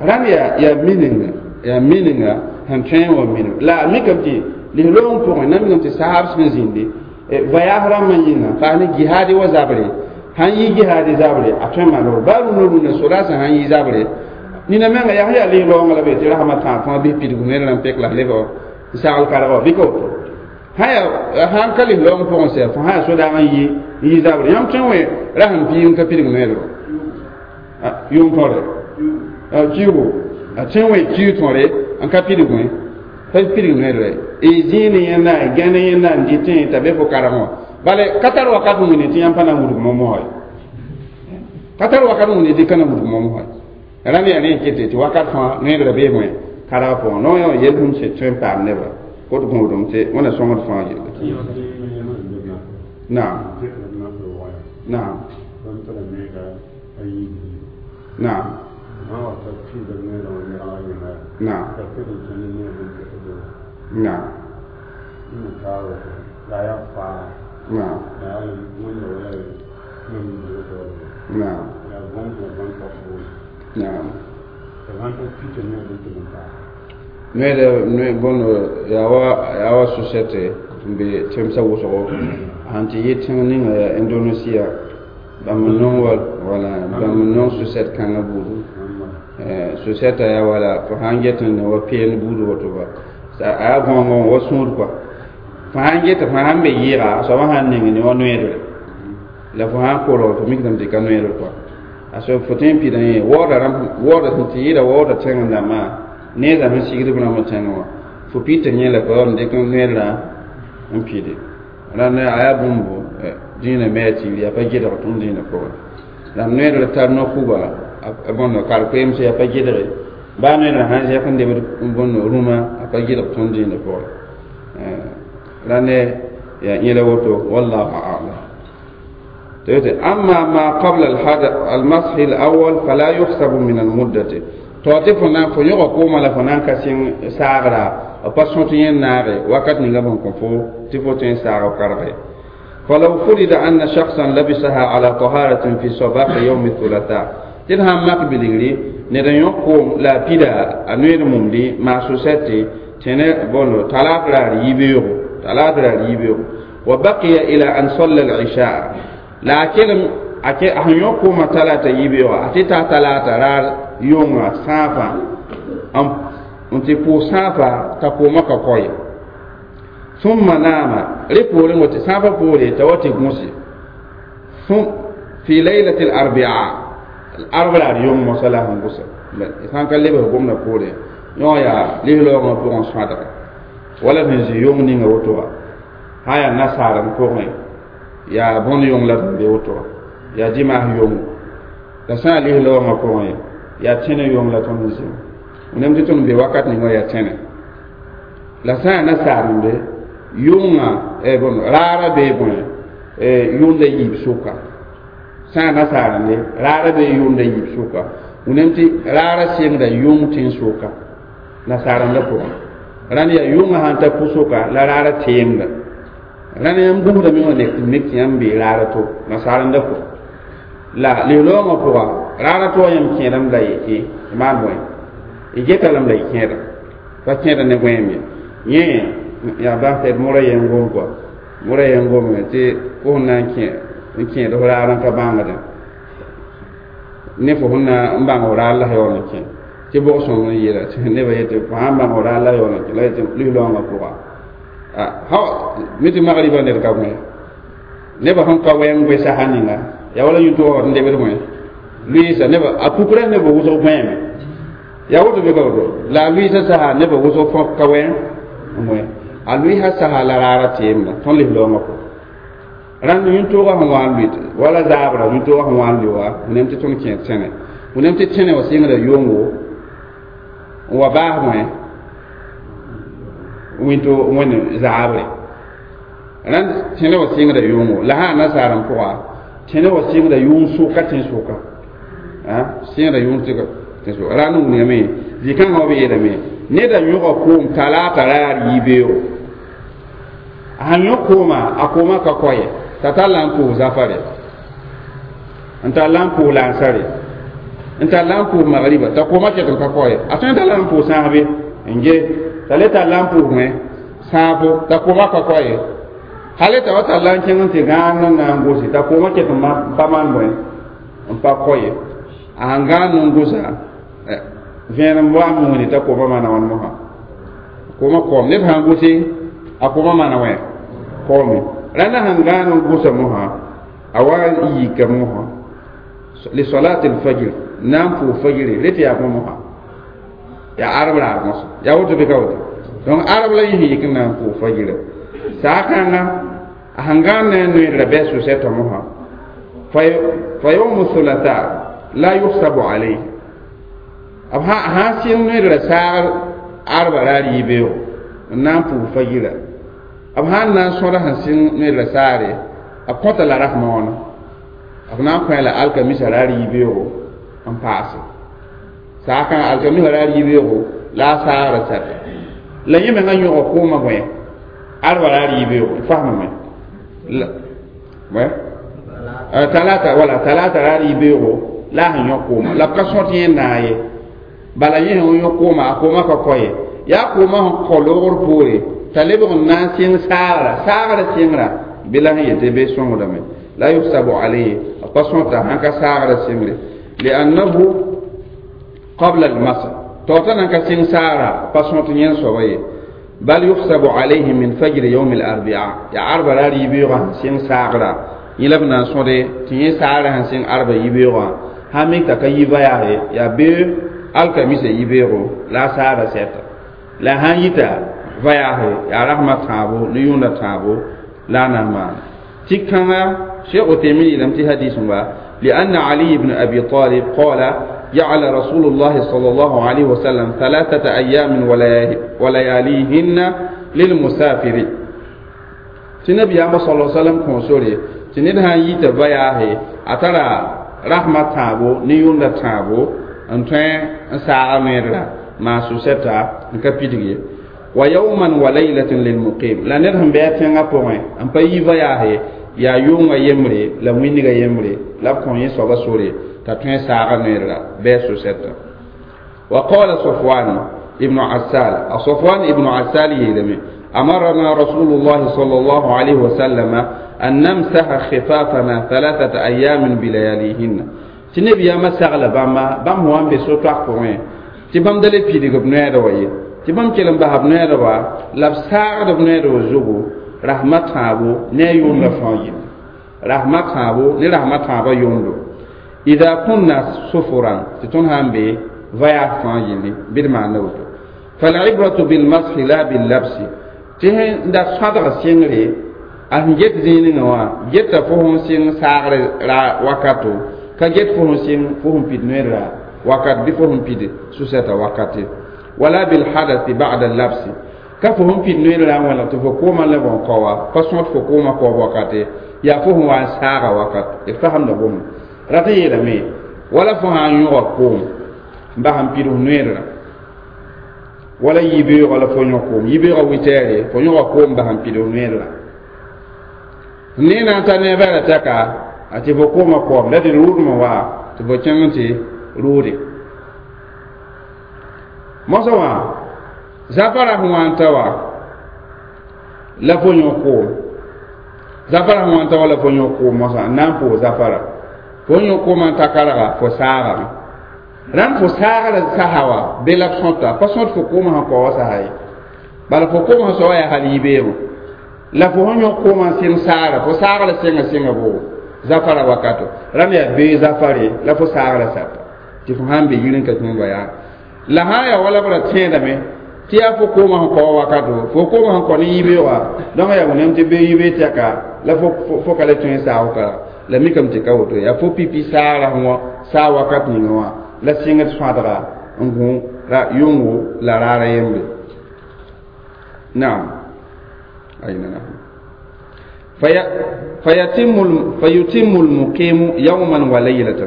rãnd yaa yaa mininga yaa mininga sẽn tõe n wa minim la a mikame tɩ lis-loong pʋgẽ na mikame tɩ saab sẽn zĩndi voyage rãmbã yĩnga paas ne jihaadi wa zabre sãn yi jihaadi zabre a tõe n maan baa rũndã rũndã sodaasã sãn yi zabre nina menga yaa yaa lis-loongã la be tɩ rasmã tãag fãa bɩ pidg noeedrã n pek la lebg n sagl kargã bɩ ka woto sã yaa sãn ka lis-loong pʋgẽ sɛ fo sã yaa sodaag n yi n yi zabre yãmb tõe n wẽ rasem piig n ka pidg noeedrã yʋʋm tõre kiugo a tõe n wẽ kiu tõre n ka pidg wẽ pa pidg noeedrã y zĩig ne yẽnda y gã ne yẽnda n dɩtẽ t'a be fo karg wã bale ka tar wakat wĩne tɩ yãmb pa na n wudg momosã ye ka tar wakat wĩne tɩ ka na wudg momosã ye rãnd yaa rẽ kete tɩ wakat fãa noeedrã bee bõe karg pʋgẽ no yã yel-bũmb sẽn tõe n paam nebã kot gũudum tɩ wẽnna sõngd fãa yelle naam naam naam naam naam naam naam naam noɛda noe bõnd yaa wa yaa wa société n be tẽmsã wʋsgo sãn tɩ yɩ tẽng ninga yaa Indonesia bãmb n nong wala wala bãmb n nong sucette kãngã buudu sucette yaa wala fo sãn get n ne wa peen buud woto ba a yaa gõongõ wa sũud kɔa fo sãn get fo sãn be yɩɩga a soabã sãn ning ne wa noɛɛdre la fo sãn kolg fo mikdame tɩ ka noɛɛdr kɔa a soab fo tõe n pida yẽ waooda rãmb waooda sẽn tɩ yɩɩda waooda tẽng dãmbã neezã sẽn sigd b rãmb tẽngẽ wã fo pita yẽ la fo yaool n dɩk noɛɛdrã n pide rãnd a yaa bũmb dĩinã me a tiiri yaa pa gedg tõnd dĩinã pʋgẽ la noɛɛdr tar no-kuga bõnd kar-koeemse yaa pa gedge baa noɛɛdrã sãn zɛk n lebd bõnd rũmã a pa gedg tõnd dĩinã pʋgẽ rãnd yaa yẽla woto wallahu a'lam أما ما قبل المسح الأول فلا يحسب من المدة to tɩ fo na fo yõga koomã la fo na n ka sɩng saagra b pa sõt yẽ naage wakat ninga bõn kõ fo tɩ fo tõe n saag b karge فلو فرض أن شخصا لبسها على طهارة في صباح يوم الثلاثاء tɩ d sãn mak bilgri ned n yõk koom la a pida a noeed mumdi maa sosɛte tẽne bõndo talaat raar yibeoogo talaat raar yibeoogo وبقي إلى أن صلى العشاء la a kelem a sẽn yõk koomã talata yibeoogã a tɩ ta talata raar yʋnga sãafã n tɩ pʋʋs sãafa t'a koomã ka kɔ ye ثم نام rẽ poorẽ wote sãafã poore t'a wa tɩ gũse في ليلة الأربعاء arb raar yʋng mosã la sẽn gʋsa sãn ka lebs gomdã poore yõ yaa lis-raoogã pʋgẽ sõadga wala sẽn zĩ yʋng ninga woto wã sã yaa nasaarem pʋgẽ yaa bõnd yʋng la sẽn be woto wã yaa dimaas yʋngo la sã n yaa lis-raoogã pʋgẽ yaa tẽne yʋng la tõnd n zĩ wẽnnaam tɩ tõnd be wakat ninga yaa tẽne la sã n yaa nasaarem be yʋngã bõn raara bee bõe yʋnda yiib sʋka sã n yaa nasaarem raara bee yʋnda yiib sʋka wẽnnaam tɩ raara sɩngda yʋng tẽn-sʋka nasaarem pʋgẽ rãnd yaa yʋngã sãn ta pʋsʋka la raara teemda rãnd yãmb gũusdame wã nek tɩ mik tɩ yãmb bee raara to nasaarendã pʋgẽ la lis-raoongã pʋga raara to yãmb kẽedame la y maan bõe y geta lame la y kẽeda pa kẽeda ne gõeem ye yẽ yaa bãs mora yen gom kɔa mora yen gome tɩ fo sẽn na n kẽ n kẽed f raar n ka bãngdẽ ne fo sẽn na n bãng f raar la yaool n kẽ tɩ bʋg sõm n yeela tɩ nebã yetɩ fo sãn bãng f raar la yaool n kẽ la yetɩ lis-raoongã pʋga ha mi tɩ magribã ned ka gõe nebã sẽn ka wɛng goe sasa ninga yaa wala yũtʋg n lebd gõe lʋɩɩsa nebã a pukrã nebã wʋsg gõeeme yaa woto bɩ ka woto la a lʋɩɩsã sasa nebã wʋsg fõ ka wɛng n gõe a lʋɩɩsã sasa la raara teemda tõnd lis-raoongã pʋgẽ rãnd yũtʋʋgã sẽn wa n lʋɩ wala zaabra yũtʋʋgã sẽn wa n lʋɩ wa wẽnnaam tɩ tõnd kẽ tẽne wẽnnaam tɩ tẽne wã sɩngda yʋngo n wa baas bõe wĩnto wẽnd zaabre rãnd tẽne wã sɩngda yʋngo la sã nasaarem pʋga tẽne wã sɩngda yʋng sʋka tẽn-sʋka sɩngda yʋng tẽn-sʋka rãnd wilgame zĩ-kãngã wã b yeelame neda yõga koom talaata raar yibeoogo a sãn yõk kooma a koomã ka kɔ ye t'a tar la n pʋʋs zafare n tar la n pʋʋs lansare n tar la n pʋʋs magriba t'a koomã ket n ka kɔ ye a tõe n tar la n pʋʋs sãasbe n ge t'a le tar la n pʋʋs wẽ sãafo t'a koomã ka kɔ ye hale t'a wa tar la n kẽng n tɩ gãan n na n gʋse t'a koomã ket n pa maan bõe n pa kɔ ye a sãn gãan n gʋsa vẽenem wa n wĩni t'a koomã maana wãn mosã koomã koom ned sãn gʋse a koomã maana wẽ koome rãndã sãn gãan n gʋsa mosã a wa n yika mosã لصلاة الفجر na n pʋʋs fajre rete yaa bõe mosã yaa arb raar mosã yaa woto bɩ ka woto donc arb la yẽ yik n na n pʋʋs fajrã saakãnga a sãn gãan ne a noeedrã bɩ a sʋsɛtã mosã فيوم الثلاثاء لا يحسب عليه b sãn sɩng noeedrã saagr arba raar yibeoogo n na n pʋʋs fajrã b sãn na n sõda sẽn sɩng noeedrã saare b kõta la rasmã wãna b na n kõ la alkamisa raar yibeoogo n paase saakã alkamisa raar yibeoogo la a saagrã sata la yẽ mengã yõga koomã bõe arba raar yibeoogo fasmame talata wala talata raar yibeoogo la a sẽn yõ kooma la b ka sõt yẽ naag ye bala yẽ sẽn yõ kooma a kooma ka kɔ ye Yaa koomã sẽn kõ loogr poore t'a lebg n na n sɩng saagra saagrã sɩngrã bɩ la sẽn yetɩ bɩ sõngdame la yuhsabu alayhi a pa sõta sãn ka saagrã sɩngre liannahu qabla almasx tao t'a nan ka sɩng saagra a pa sõt yẽn soaba ye bal yuhsabu alayhi min fajri yawm al-arbi'a ya arba ra yibeoogã sẽn sɩng saagra yẽ la b na n sõde tɩ yẽ saagrã sẽn sɩng arba yibeoogã sã mik t'a ka yi vayaase yaa bee alkamisa yibeoogo la a saagra sɛta la sãn yita vayaase yaa rasmã tãabo ne yʋʋndã tãabo la a na n maana tɩ kãnga Cheikh Uthaymin yeelame tɩ hadis wa لأن علي بن أبي طالب قال جعل رسول الله صلى الله عليه وسلم ثلاثة أيام ولياليهن للمسافر tɩ nabiyaamã sala salam kõ sore tɩ ned sã n yita vayaase a tara rasmã tãabo ne yʋʋndã tãabo n tõe n saaga noeedra maan sʋsɛta n ka pidg ye wa yawman wa laylatin lilmuqim la ned sẽn bɩ a tẽngã pʋgẽ n pa yi vayaase yaa yʋʋngã yembre la wĩndgã yembre la b kõ yẽ soaba sore t'a tõe saaga noeedra bɩ a sʋsɛta wa qala Safwan ibn Assal a Safwan ibn Assal yeelame أمرنا رسول الله صلى الله عليه وسلم أن نمسح خفافنا ثلاثة أيام بلياليهن tɩ nabiyaamã sagla bãmba bãmb sẽn wa n be so-toak pʋgẽ tɩ bãmb da le pidg b noɛɛda wa ye tɩ bãmb kell n basa b noɛɛda wa la b saagd b noɛɛda wa zugu rasmã tãabo ne a yʋʋndã fãa yĩnga rasmã tãabo ne rasmã tãabã yʋʋndo ida kunna sufuran tɩ tõnd sã n be voyage fãa yĩlli bɩ d maanda woto fal'ibratu bilmashi la billabsi tɩ sẽn da sõadg sɩngre a sẽn get zĩig ninga wã geta fo sẽn sɩng saagre ra wakato ka get fo sẽn sɩng fo sẽn pid noeedra wakat bɩ fo sẽn pid sʋsɛta wakate wala bilhadathi ba'da labsi ka fo sẽn pid noeedra n wẽlg tɩ fo koomã leb n kaowa pa sõt fo koomã kaoob wakate yaa fo sẽn wa n saaga wakat d fasemda bũmb rat n yeelame wala fo sã n yõga koom n bas n pid f noeedra wala yibeoogã la fo yõ koom yibeoogã witɛɛre fo yõga koom bas n pid f noeedra ne na n ta ne a tɛka a tɩ fo koomã koam la tɩ rʋʋdmã wa tɩ fo kẽng n tɩ rʋʋde mosã wã zafara sẽn wa n ta wa la fo yõ koom zafara sẽn wa n ta wa la fo yõ koom mosã n na n pʋʋs zafara fo yõ koomã n ta karga fo saagame rãnd fo saagra saha wa be la b sõta pa sõt fo koomã sẽn kao wa saha ye bala fo koomã sẽn sao wa yaa hal yibeoogẽ la fo sẽn yõ koomã n sɩng saagra fo saagra sẽnga sẽnga boogo zafara wakato rãnd yaa bee zafare la fo saagra sata tɩ fo sãn be yir n ka kẽ voyage la sã n yaa wala b ra tẽedame tɩ yaa fo koomã sẽn kao wakato fo koomã sẽn kao ne yibeoogã donc yaa wẽnnaam tɩ bee yibee tɛka la fo fo ka le tõe n saag ka la mikame tɩ ka woto yaa fo pipi saagra sẽn wa saa wakat ninga wã la sɩngd sõadga n gũ ra yʋngo la raara yembre naam ayna nahnu فيتم فيتم المقيم يوما وليلة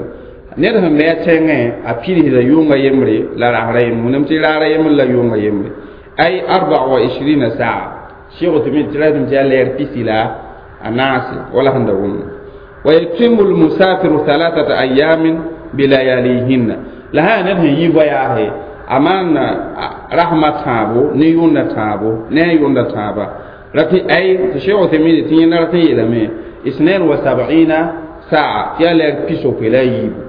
ned sẽn me a tẽngẽ a pidsda yʋnga yembre la rasra yembre wẽnnaam tɩ raara yembre la yʋnga yembre ay arba wa ishirina saa sheikh Uthaymin tɩ ratame tɩ yaa lɛɛr pisi la a naase wala sẽn da wʋmda ويتم المسافر ثلاثة أيام بلياليهن la sã ned sẽn yi voyage a maan rasmã tãabo ne yʋʋndã tãabo ne a yʋʋndã tãaba rat ay tɩ sheikh Uthaymin tɩ yẽnda rat n yeelame isnain wa sab'ina saa tɩ yaa lɛɛr pisopoe la a yiibu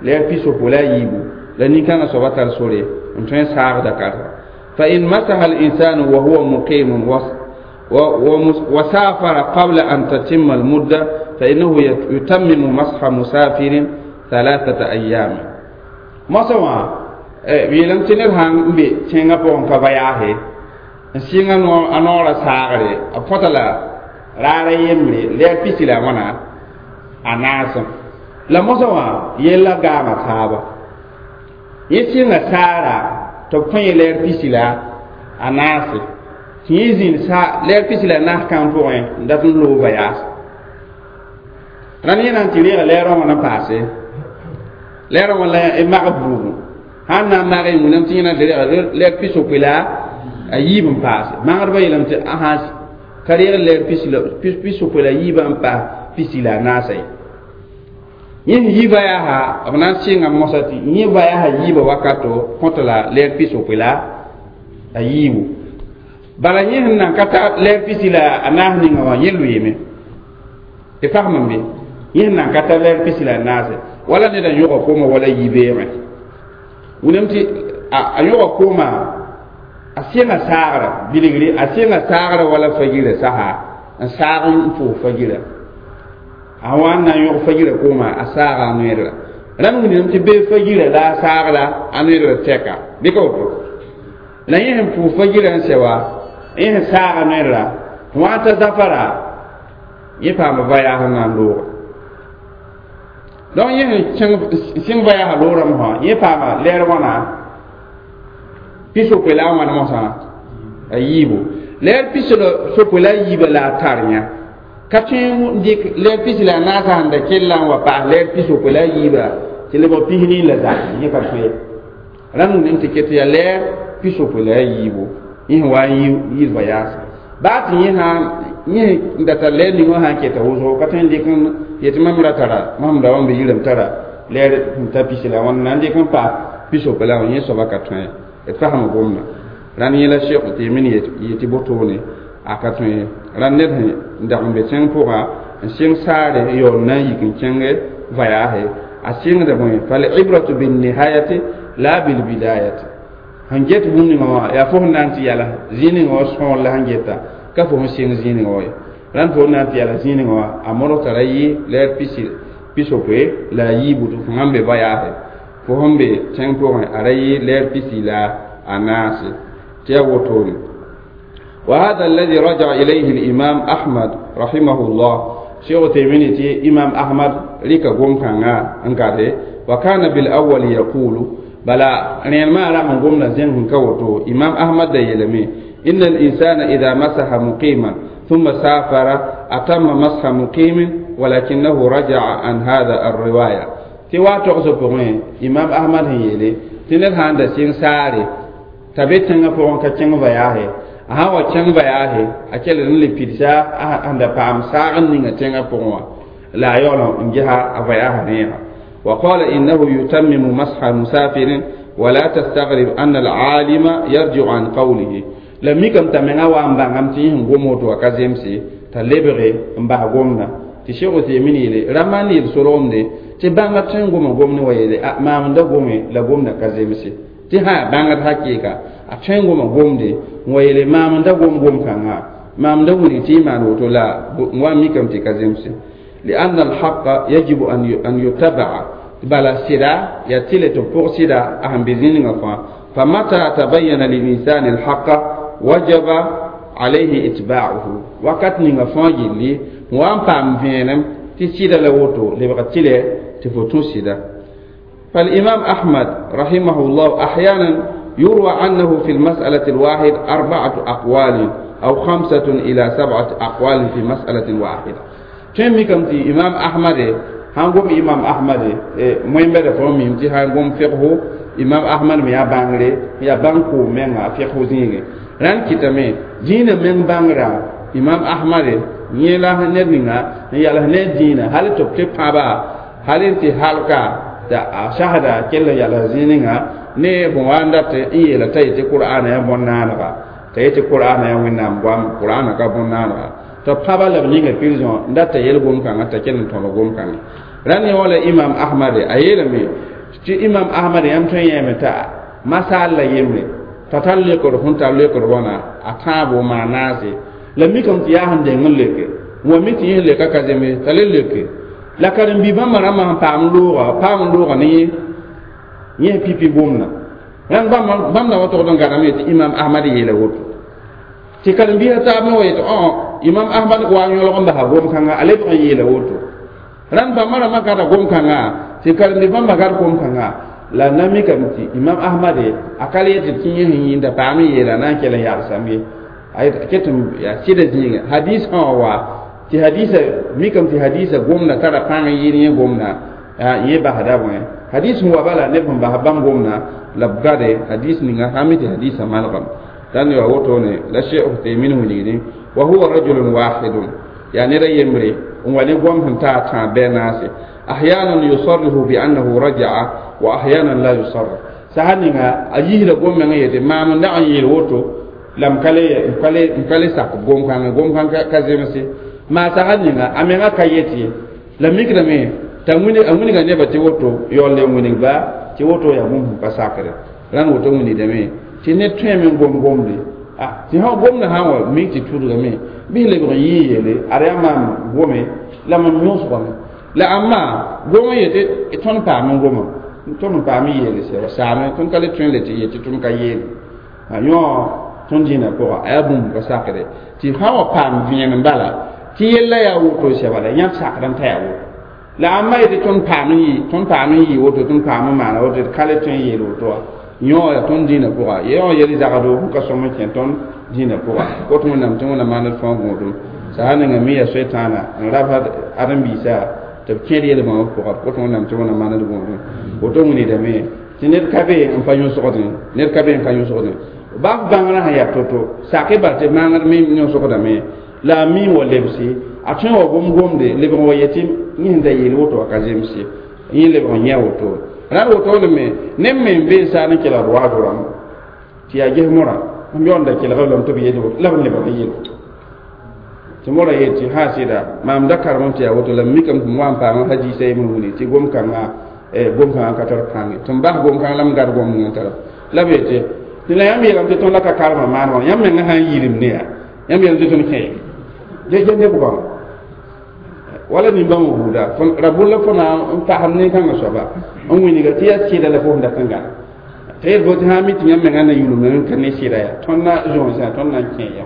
lɛɛr pisopoe la a yiibu la nin-kãngã soaba tar sore n tõe n saagda karsa فإن مسح الإنسان وهو مقيم وسافر قبل أن تتم المدة فإنه يتمم مسح مسافر ثلاثة أيام mosã wã yeelame tɩ ned sãn n be tẽngã pʋgẽ ka voyage n sɩng a noorã saagre a põta la raara yembre lɛɛr pisi la wãna a naasẽ la mosã wã yella gaama taaba yẽ sɩnga saara tɩ b kõ yẽ lɛɛr pisi la a naase tɩ yẽ zĩnd lɛɛr pisi la a naas kãng pʋgẽ n dat n loog voyage rãnd yẽ na n tɩ reega lɛɛrã wã na paase lɛɛrã wã la y mag buugu sãn na n mag y wẽnnaam tɩ yẽ na n tɩ reega lɛɛr pisopoe la a yiib n paase magsdbã yeelame tɩ asa ka reeg lɛɛr pisopoe la yiibã n paas pisi la a naasa ye yẽ sẽn yi voyage b na n sɩnga mosã tɩ yẽ voyage yiibã wakato kõta la lɛɛr pisopoe la A yiibu bala yẽ sẽn nan ka ta lɛɛr pisi la a naas ninga wã yẽ lʋɩɩme tɩ fasem n be yẽ sẽn nan ka ta lɛɛr pisi la a naase wala ned n yõga kooma wala yi-beegẽ wilame tɩ a yõga kooma a sɩnga saagra bilgre a sɩnga saagra wala fagira saha n saag n pʋʋs fagira a wa n na n yõg fagira kooma a saaga a noeedra rãmb wilame tɩ bee fagira la a saagra a noeedra tɛka bɩ ka woto la yẽ sẽn pʋʋs fagira n sɛ wa yẽ sẽn saaga noeedra wã t'a zafara yẽ paama vayaas n na n looga donc yẽ sẽn sɩng vayaasã loorame sã yẽ paama lɛɛr wãna pisopoe la a wãn mosã a yiibu lɛɛr pis sopoe la a yiiba la a tar yã ka tõe n dɩk lɛɛr pis la a naasã sẽn da kell n wa paas lɛɛr pisopoe la a yiiba tɩ lebg pisnii la zak yẽ ka tõe rãmb wilame tɩ ket yaa lɛɛr pisopoe la a yiibu yẽ sẽn wa n yɩ vayaasã baa tɩ yẽ sã yẽ n da tar lɛɛr ning wã sã n keta wʋsgo ka tõe n dɩk n yetɩ mam ra tara mam da wa n be yirame tara lɛɛr sẽn ta pisi la wãn na n dɩk n paas pisopoe la wã yẽ soaba ka tõe d fasem gomda rãnd yẽ la Cheikh Utemin yetɩ botone a ka tõe rãnd ned sẽn dag n be tẽng pʋga n sɩng saare n yaool na n yik n kẽng vayaase a sɩngda bõe falibratu binnihayati la bilbidayati sẽn get bũmb ninga wã yaa fo sẽn na n tɩ yala zĩig ninga wã sõor la sẽn geta ka fo sẽn sɩng zĩig ninga wã ye rãnd fo na n tɩ yala zĩig ninga wã a modg tara yɩ lɛɛr pisi pisopoe la a yiibu tɩ fo sãn be vayaase fo sẽn be tẽng pʋgẽ a ra yɩ lɛɛr pisi la a naase tɩ yaa wotone وهذا الذي رجع إليه الإمام أحمد رحمه الله شيخ تيمين تي إمام أحمد ريكا قوم كان انكاره وكان بالأول يقول بلا رين ما رحم قوم زين كوتو إمام أحمد يلمي إن الإنسان إذا مسح مقيما ثم سافر أتم مسح مقيم ولكنه رجع عن هذا الرواية تي واتو سبقين إمام أحمد يلي تنل هاندا سين ساري t'a be tẽngã pʋgẽ ka kẽng vayaase a sã n wa kẽng vayaase a kell n le pidsa a sẽn da paam saag n ninga tẽngã pʋgẽ wã la a yaool n gesa a vayaasã rẽega وقال إنه يتمم مسح مسافر ولا تستغرب أن العالم يرجع عن قوله la mikame t'a menga wa n bãngame tɩ yẽ sẽn gom woto wa ka zemse t'a lebge n bas gomda tɩ Cheikh Utemin yeele ra maan yel solgemde tɩ bãngd tõe n goma gomne wa yeele maam n da gome la gomda ka zemse tɩ sã bãngd hakɩɩka a tõe n goma gomde n wa yeele maam n da gom gom-kãngã maam da wilg tɩ y maan woto la n wa n mikame tɩ ka zemse لأن الحق يجب أن يتبع بلا سدا يتلي تبوغ سدا أهم بزين فمتى تبين للإنسان الحق وجب عليه إتباعه وقت نيغا فان جيلي وان بام فينم تي سيدا لوتو لبغا تيلي تفوتو سيدا فالإمام أحمد رحمه الله أحيانا يروى عنه في المسألة الواحد أربعة أقوال أو خمسة إلى سبعة أقوال في مسألة واحدة tõe mikame tɩ imam ahmad sãn gom imam ahmad moẽmbɛda fo mim tɩ sãn gom fiqhu imam ahmad me yaa bãngre yaa bãng koom menga fiqhu zĩigẽ rãnd kɩtame dĩinã meng bãngrã imam ahmad yẽ la ned ninga n yals ne dĩinã hal tɩ b tɩ pãba hal n tɩ halka t'a a sasda kell n yals zĩig ninga ne bõn wa n dat n yeela t'a yetɩ qur'ana yaa bõn-naanega t'a yetɩ qur'ana yaa wẽnnaam goam qur'ana ka bõn-naanega tɩ pãba la b ninga prison n dat t'a yel gom-kãngã t'a kell n tõd gom-kãngã rãnd yẽ wala imam ahmad a yeelame tɩ imam ahmad yãmb tõe n yẽeme t'a masaal la yembre t'a tar leokd sẽn tar leokd wãna a tãabo maan naase la mikame tɩ yaa sẽn deng n leke wa mi tɩ yẽ leka ka zeme t'a le leke la karen-bi bãmba rãmbã sẽn paam looga paam n looga ne yẽ yẽ pipi gomda rãnd bãmb na wa togd n gãname tɩ imam ahmad yeela woto tɩ karen-biisã taab me wa yetɩ õ imam ahmad wa n yõlg n basa gom-kãngã a lebg n yeela woto rãnd bãmba rãmbã gada gom-kãngã tɩ karen-bi bãmba gad gom-kãngã la na mikame tɩ imam ahmad a ka le yetɩ tɩ yẽ sẽn yĩnda paam n yeela na n kell n yagsame ye a ket n yaa sɩda zĩigẽ hadis sã wã wa tɩ hadisa mikame tɩ hadisa gomda tara pãng n yɩɩd yẽ gomda yẽ basda bõe hadis sẽn wa bala neb sẽn bas bãmb gomda la b gade hadis ninga sã mi tɩ hadisã malgame tãn ya wotone la Cheikh Utemin wilgdẽ wa huwa rajulun wahidun yaa ned a yembre n wa ne gom sẽn taa tãab bɩ a naase أحيانا يصرح بأنه رجع وأحيانا لا يصرح Sã ninga a yisda gom-meng yetɩ maam n dag n yeel woto la m ka le m ka le m ka le sak gom-kãngã gom-kãng ka zemse maa sag ninga a menga ka yet ye la mikdame t'a a wilga nebã tɩ woto yaool le n wilg ba tɩ woto yaa bũmb sẽn pa sakre rãnd woto wilgdame tɩ ned tõeme n gom gomde tɩ sã gomdã sã n wa mik tɩ tudgame bɩ lebg n yɩ yeele ad yaa maam gome la mam yõsgame la ãmba gom n yetɩ tõnd paam n goma tõnd n paam n yeele sɛba saame tõnd ka le tõe n le tɩ yet tɩ tõnd ka yeele yõ tõnd dĩinã pʋga a yaa bũmb ka sakre tɩ sã wa paam vẽenem bala tɩ yella yaa woto sɛba la yãb sakd n ta yaa woto la ãmba yetɩ tõnd paam n yɩ tõnd paam n yɩ woto tõnd paam n maana woto d ka le tõe n yeel woto wa yõ yaa tõnd dĩinã pʋga yõ yel zagdo sẽn ka sõm n kẽ tõnd dĩinã pʋga kot wẽnnaam tɩ wẽnnaam maand d fãa gõodum sã ninga me yaa soetãana n rabsd ãdem-biisã tɩ b kẽed yel-bãmb pʋga kot wẽnnaam tɩ wẽnnaam maand d gõodum woto wilgdame tɩ ned ka be n pa yõsgdẽ ned ka be n ka yõsgdẽ baf bãngrã sẽn yaa to-to sak-y bal tɩ maangd me yõsgdame la a mi wa lebse a tõe wa gom gomde lebg n wa yetɩ yẽ sẽn da yeel woto wa ka zemse yẽ lebg n yã woto rãnd wotone me neb me n be n saar n kelgd waado rãmb tɩ yaa ges morã m yaool da kelg lame tɩ b yeel woto la b lebg n yeel woto tɩ morã yet tɩ sã sɩda maam da karem tɩ yaa woto la m mikame tɩ m wa n paam hadiisa yembr wilg tɩ gom-kãngã gom-kãngã ka tar pãnge tɩ m bas gom-kãng la m gad gom ning n tara la b yetɩ tɩ la yãmb yeelame tɩ tõnd la ka karema maan wã yãmb menga sã n yilim ne yaa yãmb yeelame tɩ tõnd kẽ ye neb goama wala nin-bãmb buuda ra bʋ la fo na n pasem nin-kãngã soaba n wilga tɩ yaa sɩda la fo sẽn dat n gãna tɩ yel fo tɩ sã n mi tɩ yãmb menga na yulme n ka ne sɩda yaa tõnd na zõosã tõnd na n kẽ ya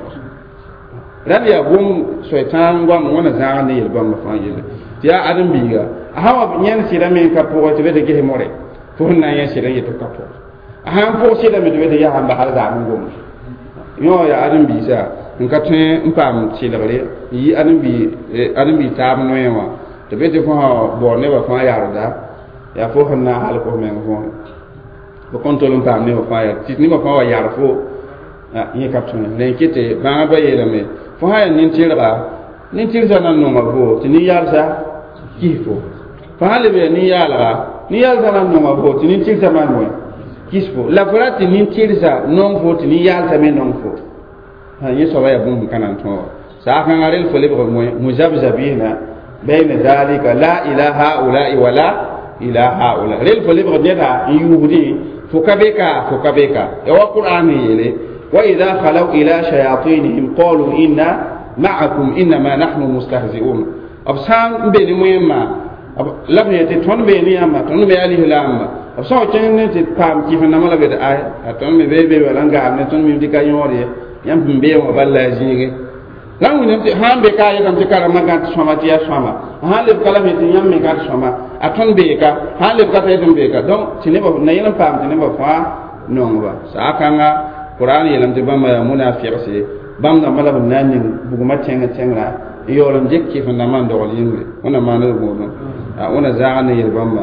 rãnd yaa gom soy-tãag goam wãna zãag ne yel-bãmba fãa yelle tɩ yaa ãdem-biiga a sã wa yẽnd sɩda me n ka pʋgẽ tɩ be tɩ ges more fo sẽn na n yẽ sɩda n yet tɩ ka pʋg a sã n pʋg sɩda me tɩ be tɩ yaa n basd zaam n gomd yõ yaa ãdem-biisã n ka tõe n paam sɩlgre n yi ãdem-bi taab noẽ wã tɩ be tɩ fo sã baood nebã fãa yarda yaa fo sẽn na n halk f meng fo fo kõn tol n paam nebã fãa yar tɩ nebã fãa wa yar fo yẽ ka tõe la n kɩtɩ bãagdbã yeelame fo sã yaa nin-tɩrga nin-tɩrgsã na n nonga fo tɩ nin-yaalsã kis fo fo sã leb yaa nin-yaalga nin-yaalsã na n nonga fo tɩ nin-tɩrsã maan bõe kis fo la fo ra tɩ nin-tɩrsa nong fo tɩ nin-yaalsã me nong fo yẽ soaba yaa bũmb ka na n tõog saakãngã rel fo lebg muzabzabina bayna dalika la ila haulai wala ila haula rel fo lebg neda n yuusdẽ fo ka be ka fo ka be ka ya wa qur'an n yeele wa ida khalaw ila shayatinihim qalu inna ma'akum innama nahnu mustahzi'un b sã n be ne wẽmma la b yetɩ tõnd bee ne yãmba tõnd me alislaamba b sã wa kẽng ne tɩ paam kɩf-nãmã la b yetɩ ay a tõnd me bee be wala n gaam ne tõnd mim tɩ ka yõod ye yãmb sẽn bee wã bal la a zĩige la n wilame tɩ sã n be ka yetame tɩ karembã gãd sõma tɩ yaa sõma sã n leb ka la me tɩ yãmb me gãd sõma a tõnd bee ka sã n leb ka t'a yetɩ n bee ka donc tɩ nebã na yẽl n paam tɩ nebã fãa nongba saa kãnga qur'an yeelame tɩ bãmba yaa munafiqse bãmb dãmbã la b na n ning bugmã tẽng tẽngrã n yaool n dɩk kɩf-n-dãmbã n dogl yĩngre wẽnna maand d gõodẽ wẽna zãag ne yel-bãmba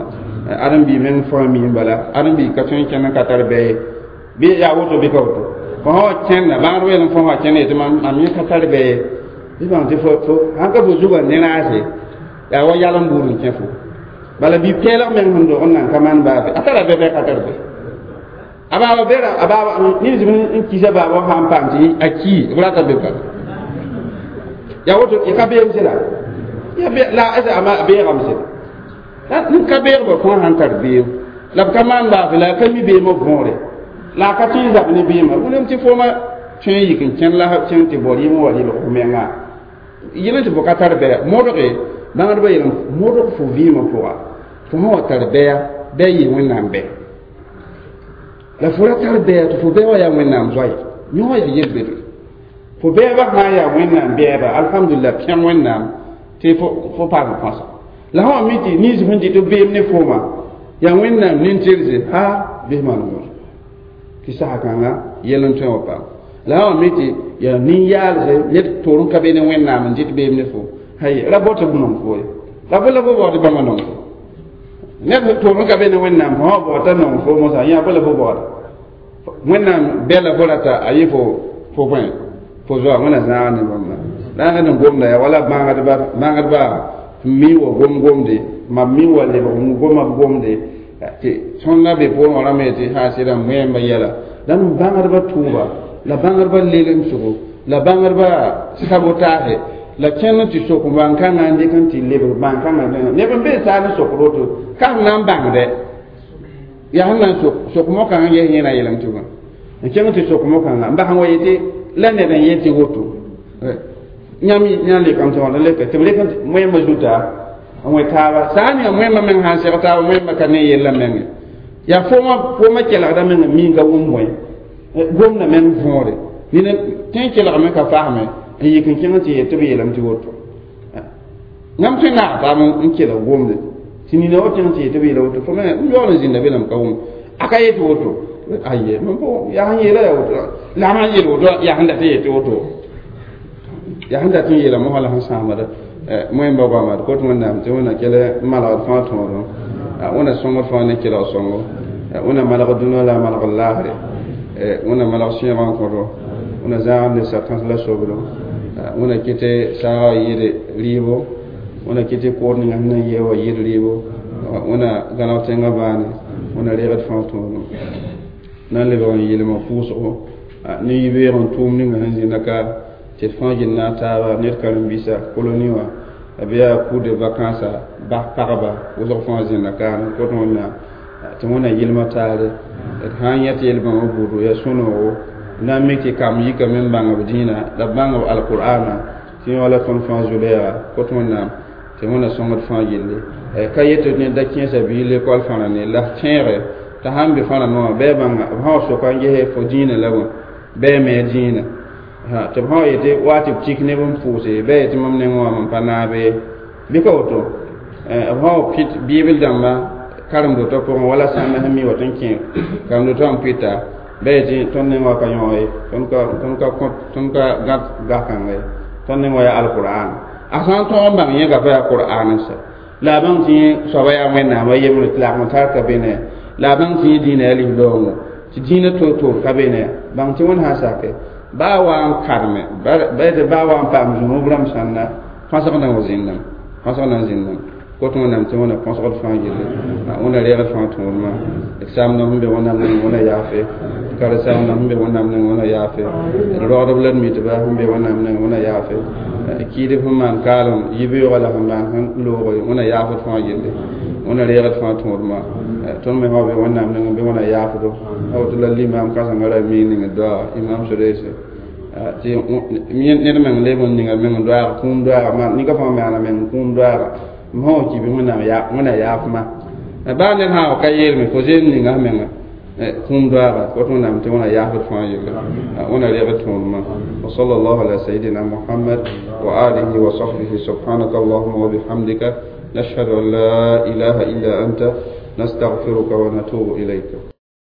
ãdem-bi meng fãa miim bala ãdem-bi ka tõe n kẽnd n ka tar bɛ ye bɩ yaa woto bɩ ka woto fo sã wa kẽnda bãagd weelem fo sã kẽnd yetɩ mam yẽ ka tar bɛ ye bɩ bãng tɩ sãn ka fo zugã ne raase yaa wa yalem buud n kẽ fo bala bɩ peelg meng sẽn dog n nan ka maan baabe a tara bɛ bɛ ka tar bɛ a baaba bɛra a baaba nins n kisa baaba sã n paam tɩ a kii b rata be pa yaa woto y ka beem sẽda la a beegame sẽda la n ka beegba fãa sãn tar beem la b ka maan baase la a ka mi beemã võore la a ka tõe n zab ne beemã wilame tɩ fooma tõe n yik n kẽnd la kẽng tɩ bao rɩɩm wa rɩlg f menga yẽl tɩ fo ka tar bɛya modge bãngdbã yeelame modg fo vɩɩmã pʋga fo sã wa tar bɛya bɩ a yɩ wẽnnaam bɛ la fo ra tar bɛya tɩ fo bɛɛ wa yaa wẽnnaam zoe yõ yaa yel-bedre fo bɛɛbã sã n yaa wẽnnaam bɛɛba alhamdulillah pẽg wẽnnaam tɩ fo paam põsa la sã wa mi tɩ nins sẽn dɩ tɩ beem ne fooma yaa wẽnnaam nin-tɩrse ha bɩs maan wõs tɩ sasa kãnga yɛl n tõe wa paam la sã wa mi tɩ yaa nin-yaalse ned toor n ka be ne wẽnnaam n dɩt beem ne fo hay ra bao tɩ b nong fo ye la bõ la fo baood bãmba nong fo ned toor n ka be ne wẽnnaam fo sã wa baood t'a nong fo mosã yã bõ la fo baooda wẽnnaam bɛla fo rata a yɩ fo fo bõe fo zoa wẽna zãag ne bãmba la n n gomda yaa wala bãagdba bãagdba mi wa gom gomde mam mi wa lebg n goma b gomde Tɩ tõnd be pʋʋr wã rãmb tɩ sã sɩda wẽemba yɛla la bãngdbã tʋʋba la bãngdbã lelemsgo la bãngdbã sabotage la kẽnd tɩ sok bãn-kãngã n dɩk n tɩ lebg bãn-kãngã neb n be saar n sokd woto ka sẽn na n bãngdɛ yaa sẽn na n sok sok mokãngã n ges yẽ na yeelame tɩ bõe n kẽng tɩ sok mokãngã n bas n wa yetɩ la ned n yet tɩ woto yãmb yã lekame tɩ wãna leka tɩ b lek wẽemã zuta n wẽ taaba saa n yaa wẽemã meng sã n seg taaba wẽemã ka ne yellã menge yaa foomã foomã kelgda meng n ka wʋm bõe gomda meng võore nina tẽ kelgame ka fasme n yik n kẽng tɩ yet tɩ b yeelame tɩ woto yãmb tõe n naag taab n kelg gomde tɩ nina wa kẽng tɩ yet tɩ b yeela woto fo me n yaool n zĩnda belame ka wʋm a ka yet woto aye mam po yaa sẽn yeela yaa woto la sãn yeel woto yaa sẽn dat n yet woto yaa sẽn dat n yeela mosã la sẽn sãamda wẽmba goama d kot wẽnnaam tɩ wẽnna kell n malgd fãa tõodẽ wẽnna sõngd fãa ne kelg sõngo wẽnna malg dũnã la a malg laasre wẽnna malg sẽegã n kõto wẽnna zãagd ne sakãs la sobdo wẽnna kɩtɩ saagã yɩɩd rɩɩbo wẽnna kɩtɩ kood ninga sẽn na n yee wa yɩɩd rɩɩbo wẽnna gãneg tẽngã bãane wẽnna reegd fãa tõodẽ na n lebg n yɩlem pʋʋsgo ne yibeoog n tʋʋm ninga sẽn zĩnda ka tɩ d fãa gill naag taaba ned karen-biisã koloni wã b yaa cours de vacances bas pagba wʋsg fãa zĩnda kaane kot wẽnnaam tɩ wẽnna yɩlmã taare d sã n yẽ tɩ yel-bãmba buudu yaa sũ-noogo na n mik tɩ kamb yikame n bãng b dĩinã la b bãng b alqur'ana tɩ yẽ wala tõnd fãa zu-lɛɛga kot wẽnnaam tɩ wẽnna sõngd fãa gilli ka yetɩ ned da kẽesa biig lekɔl fãra ne la tẽege t'a sãn be fãra noã bɩ a bãnga b sã wa soka n ges fo dĩinã la bõe bɩ a me dĩinã tɩ b sã wa yetɩ wa tɩ b tik neb n pʋʋse bɩ a yetɩ mam nengẽ wã mam pa naabe bɩ ka woto b sã wa pɩt biibl dãmba karen-dotã pʋgẽ wala sãmba sẽn mi wa tɩ n kẽ karen-dotã n pɩta bɩ a yetɩ tõnd neng wã ka yõ ye tõnd ka tõnd ka kõ tõnd ka gãd gakãnga ye tõnd neng wã yaa alqur'an a sã n tõog n bãng yẽga pa yaa qur'an n sa la a bãng tɩ yẽ soaba yaa wẽnnaam a yembre tɩ lagm tar ka be ne la a bãng tɩ yẽ dĩinã yaa lis-loongo tɩ dĩinã toor-toor ka be ne bãng tɩ wẽnd sã n sake baa wa n karme ba baa wa n paam zũnub rãmb sãnda põsg na wa zĩndame põsg na n zĩndame kot wẽnnaam tɩ wẽnna põsgd fãa gilli wẽnna reegd fãa tõodmã d saamdã sẽn be wẽnnaam neng wẽnna yaafe d karen-saamdã sẽn be wẽnnaam neng wẽnna yaafe d rogdb la d mitba sẽn be wẽnnaam neng wẽnna yaafe kiidb sẽn maan kaalem yibeoogã la sẽn maan sẽn looge wẽnna yaafd fãa gilli wẽnna reegd fãa tõodmã tõnd me sã be wẽnnaam neng bɩ wẽnna yaafdo a woto la limam kãsengã ra mi ning doaga imam soreese tɩ ned meng leb n ninga meng doaag kũum doaaga ma nika fãa maana meng kũum doaaga m sã wa ki bɩ wẽnnaam wẽnna yaafma baa ned sã wa ka yeelme fo zeem ninga menga kũum doaaga kot wẽnnaam tɩ wẽnna yaafd fãa yelle wẽnna reegd tõodmã وصلى الله على سيدنا محمد وآله وصحبه سبحانك اللهم وبحمدك نشهد أن لا إله إلا أنت نستغفرك ونتوب إليك.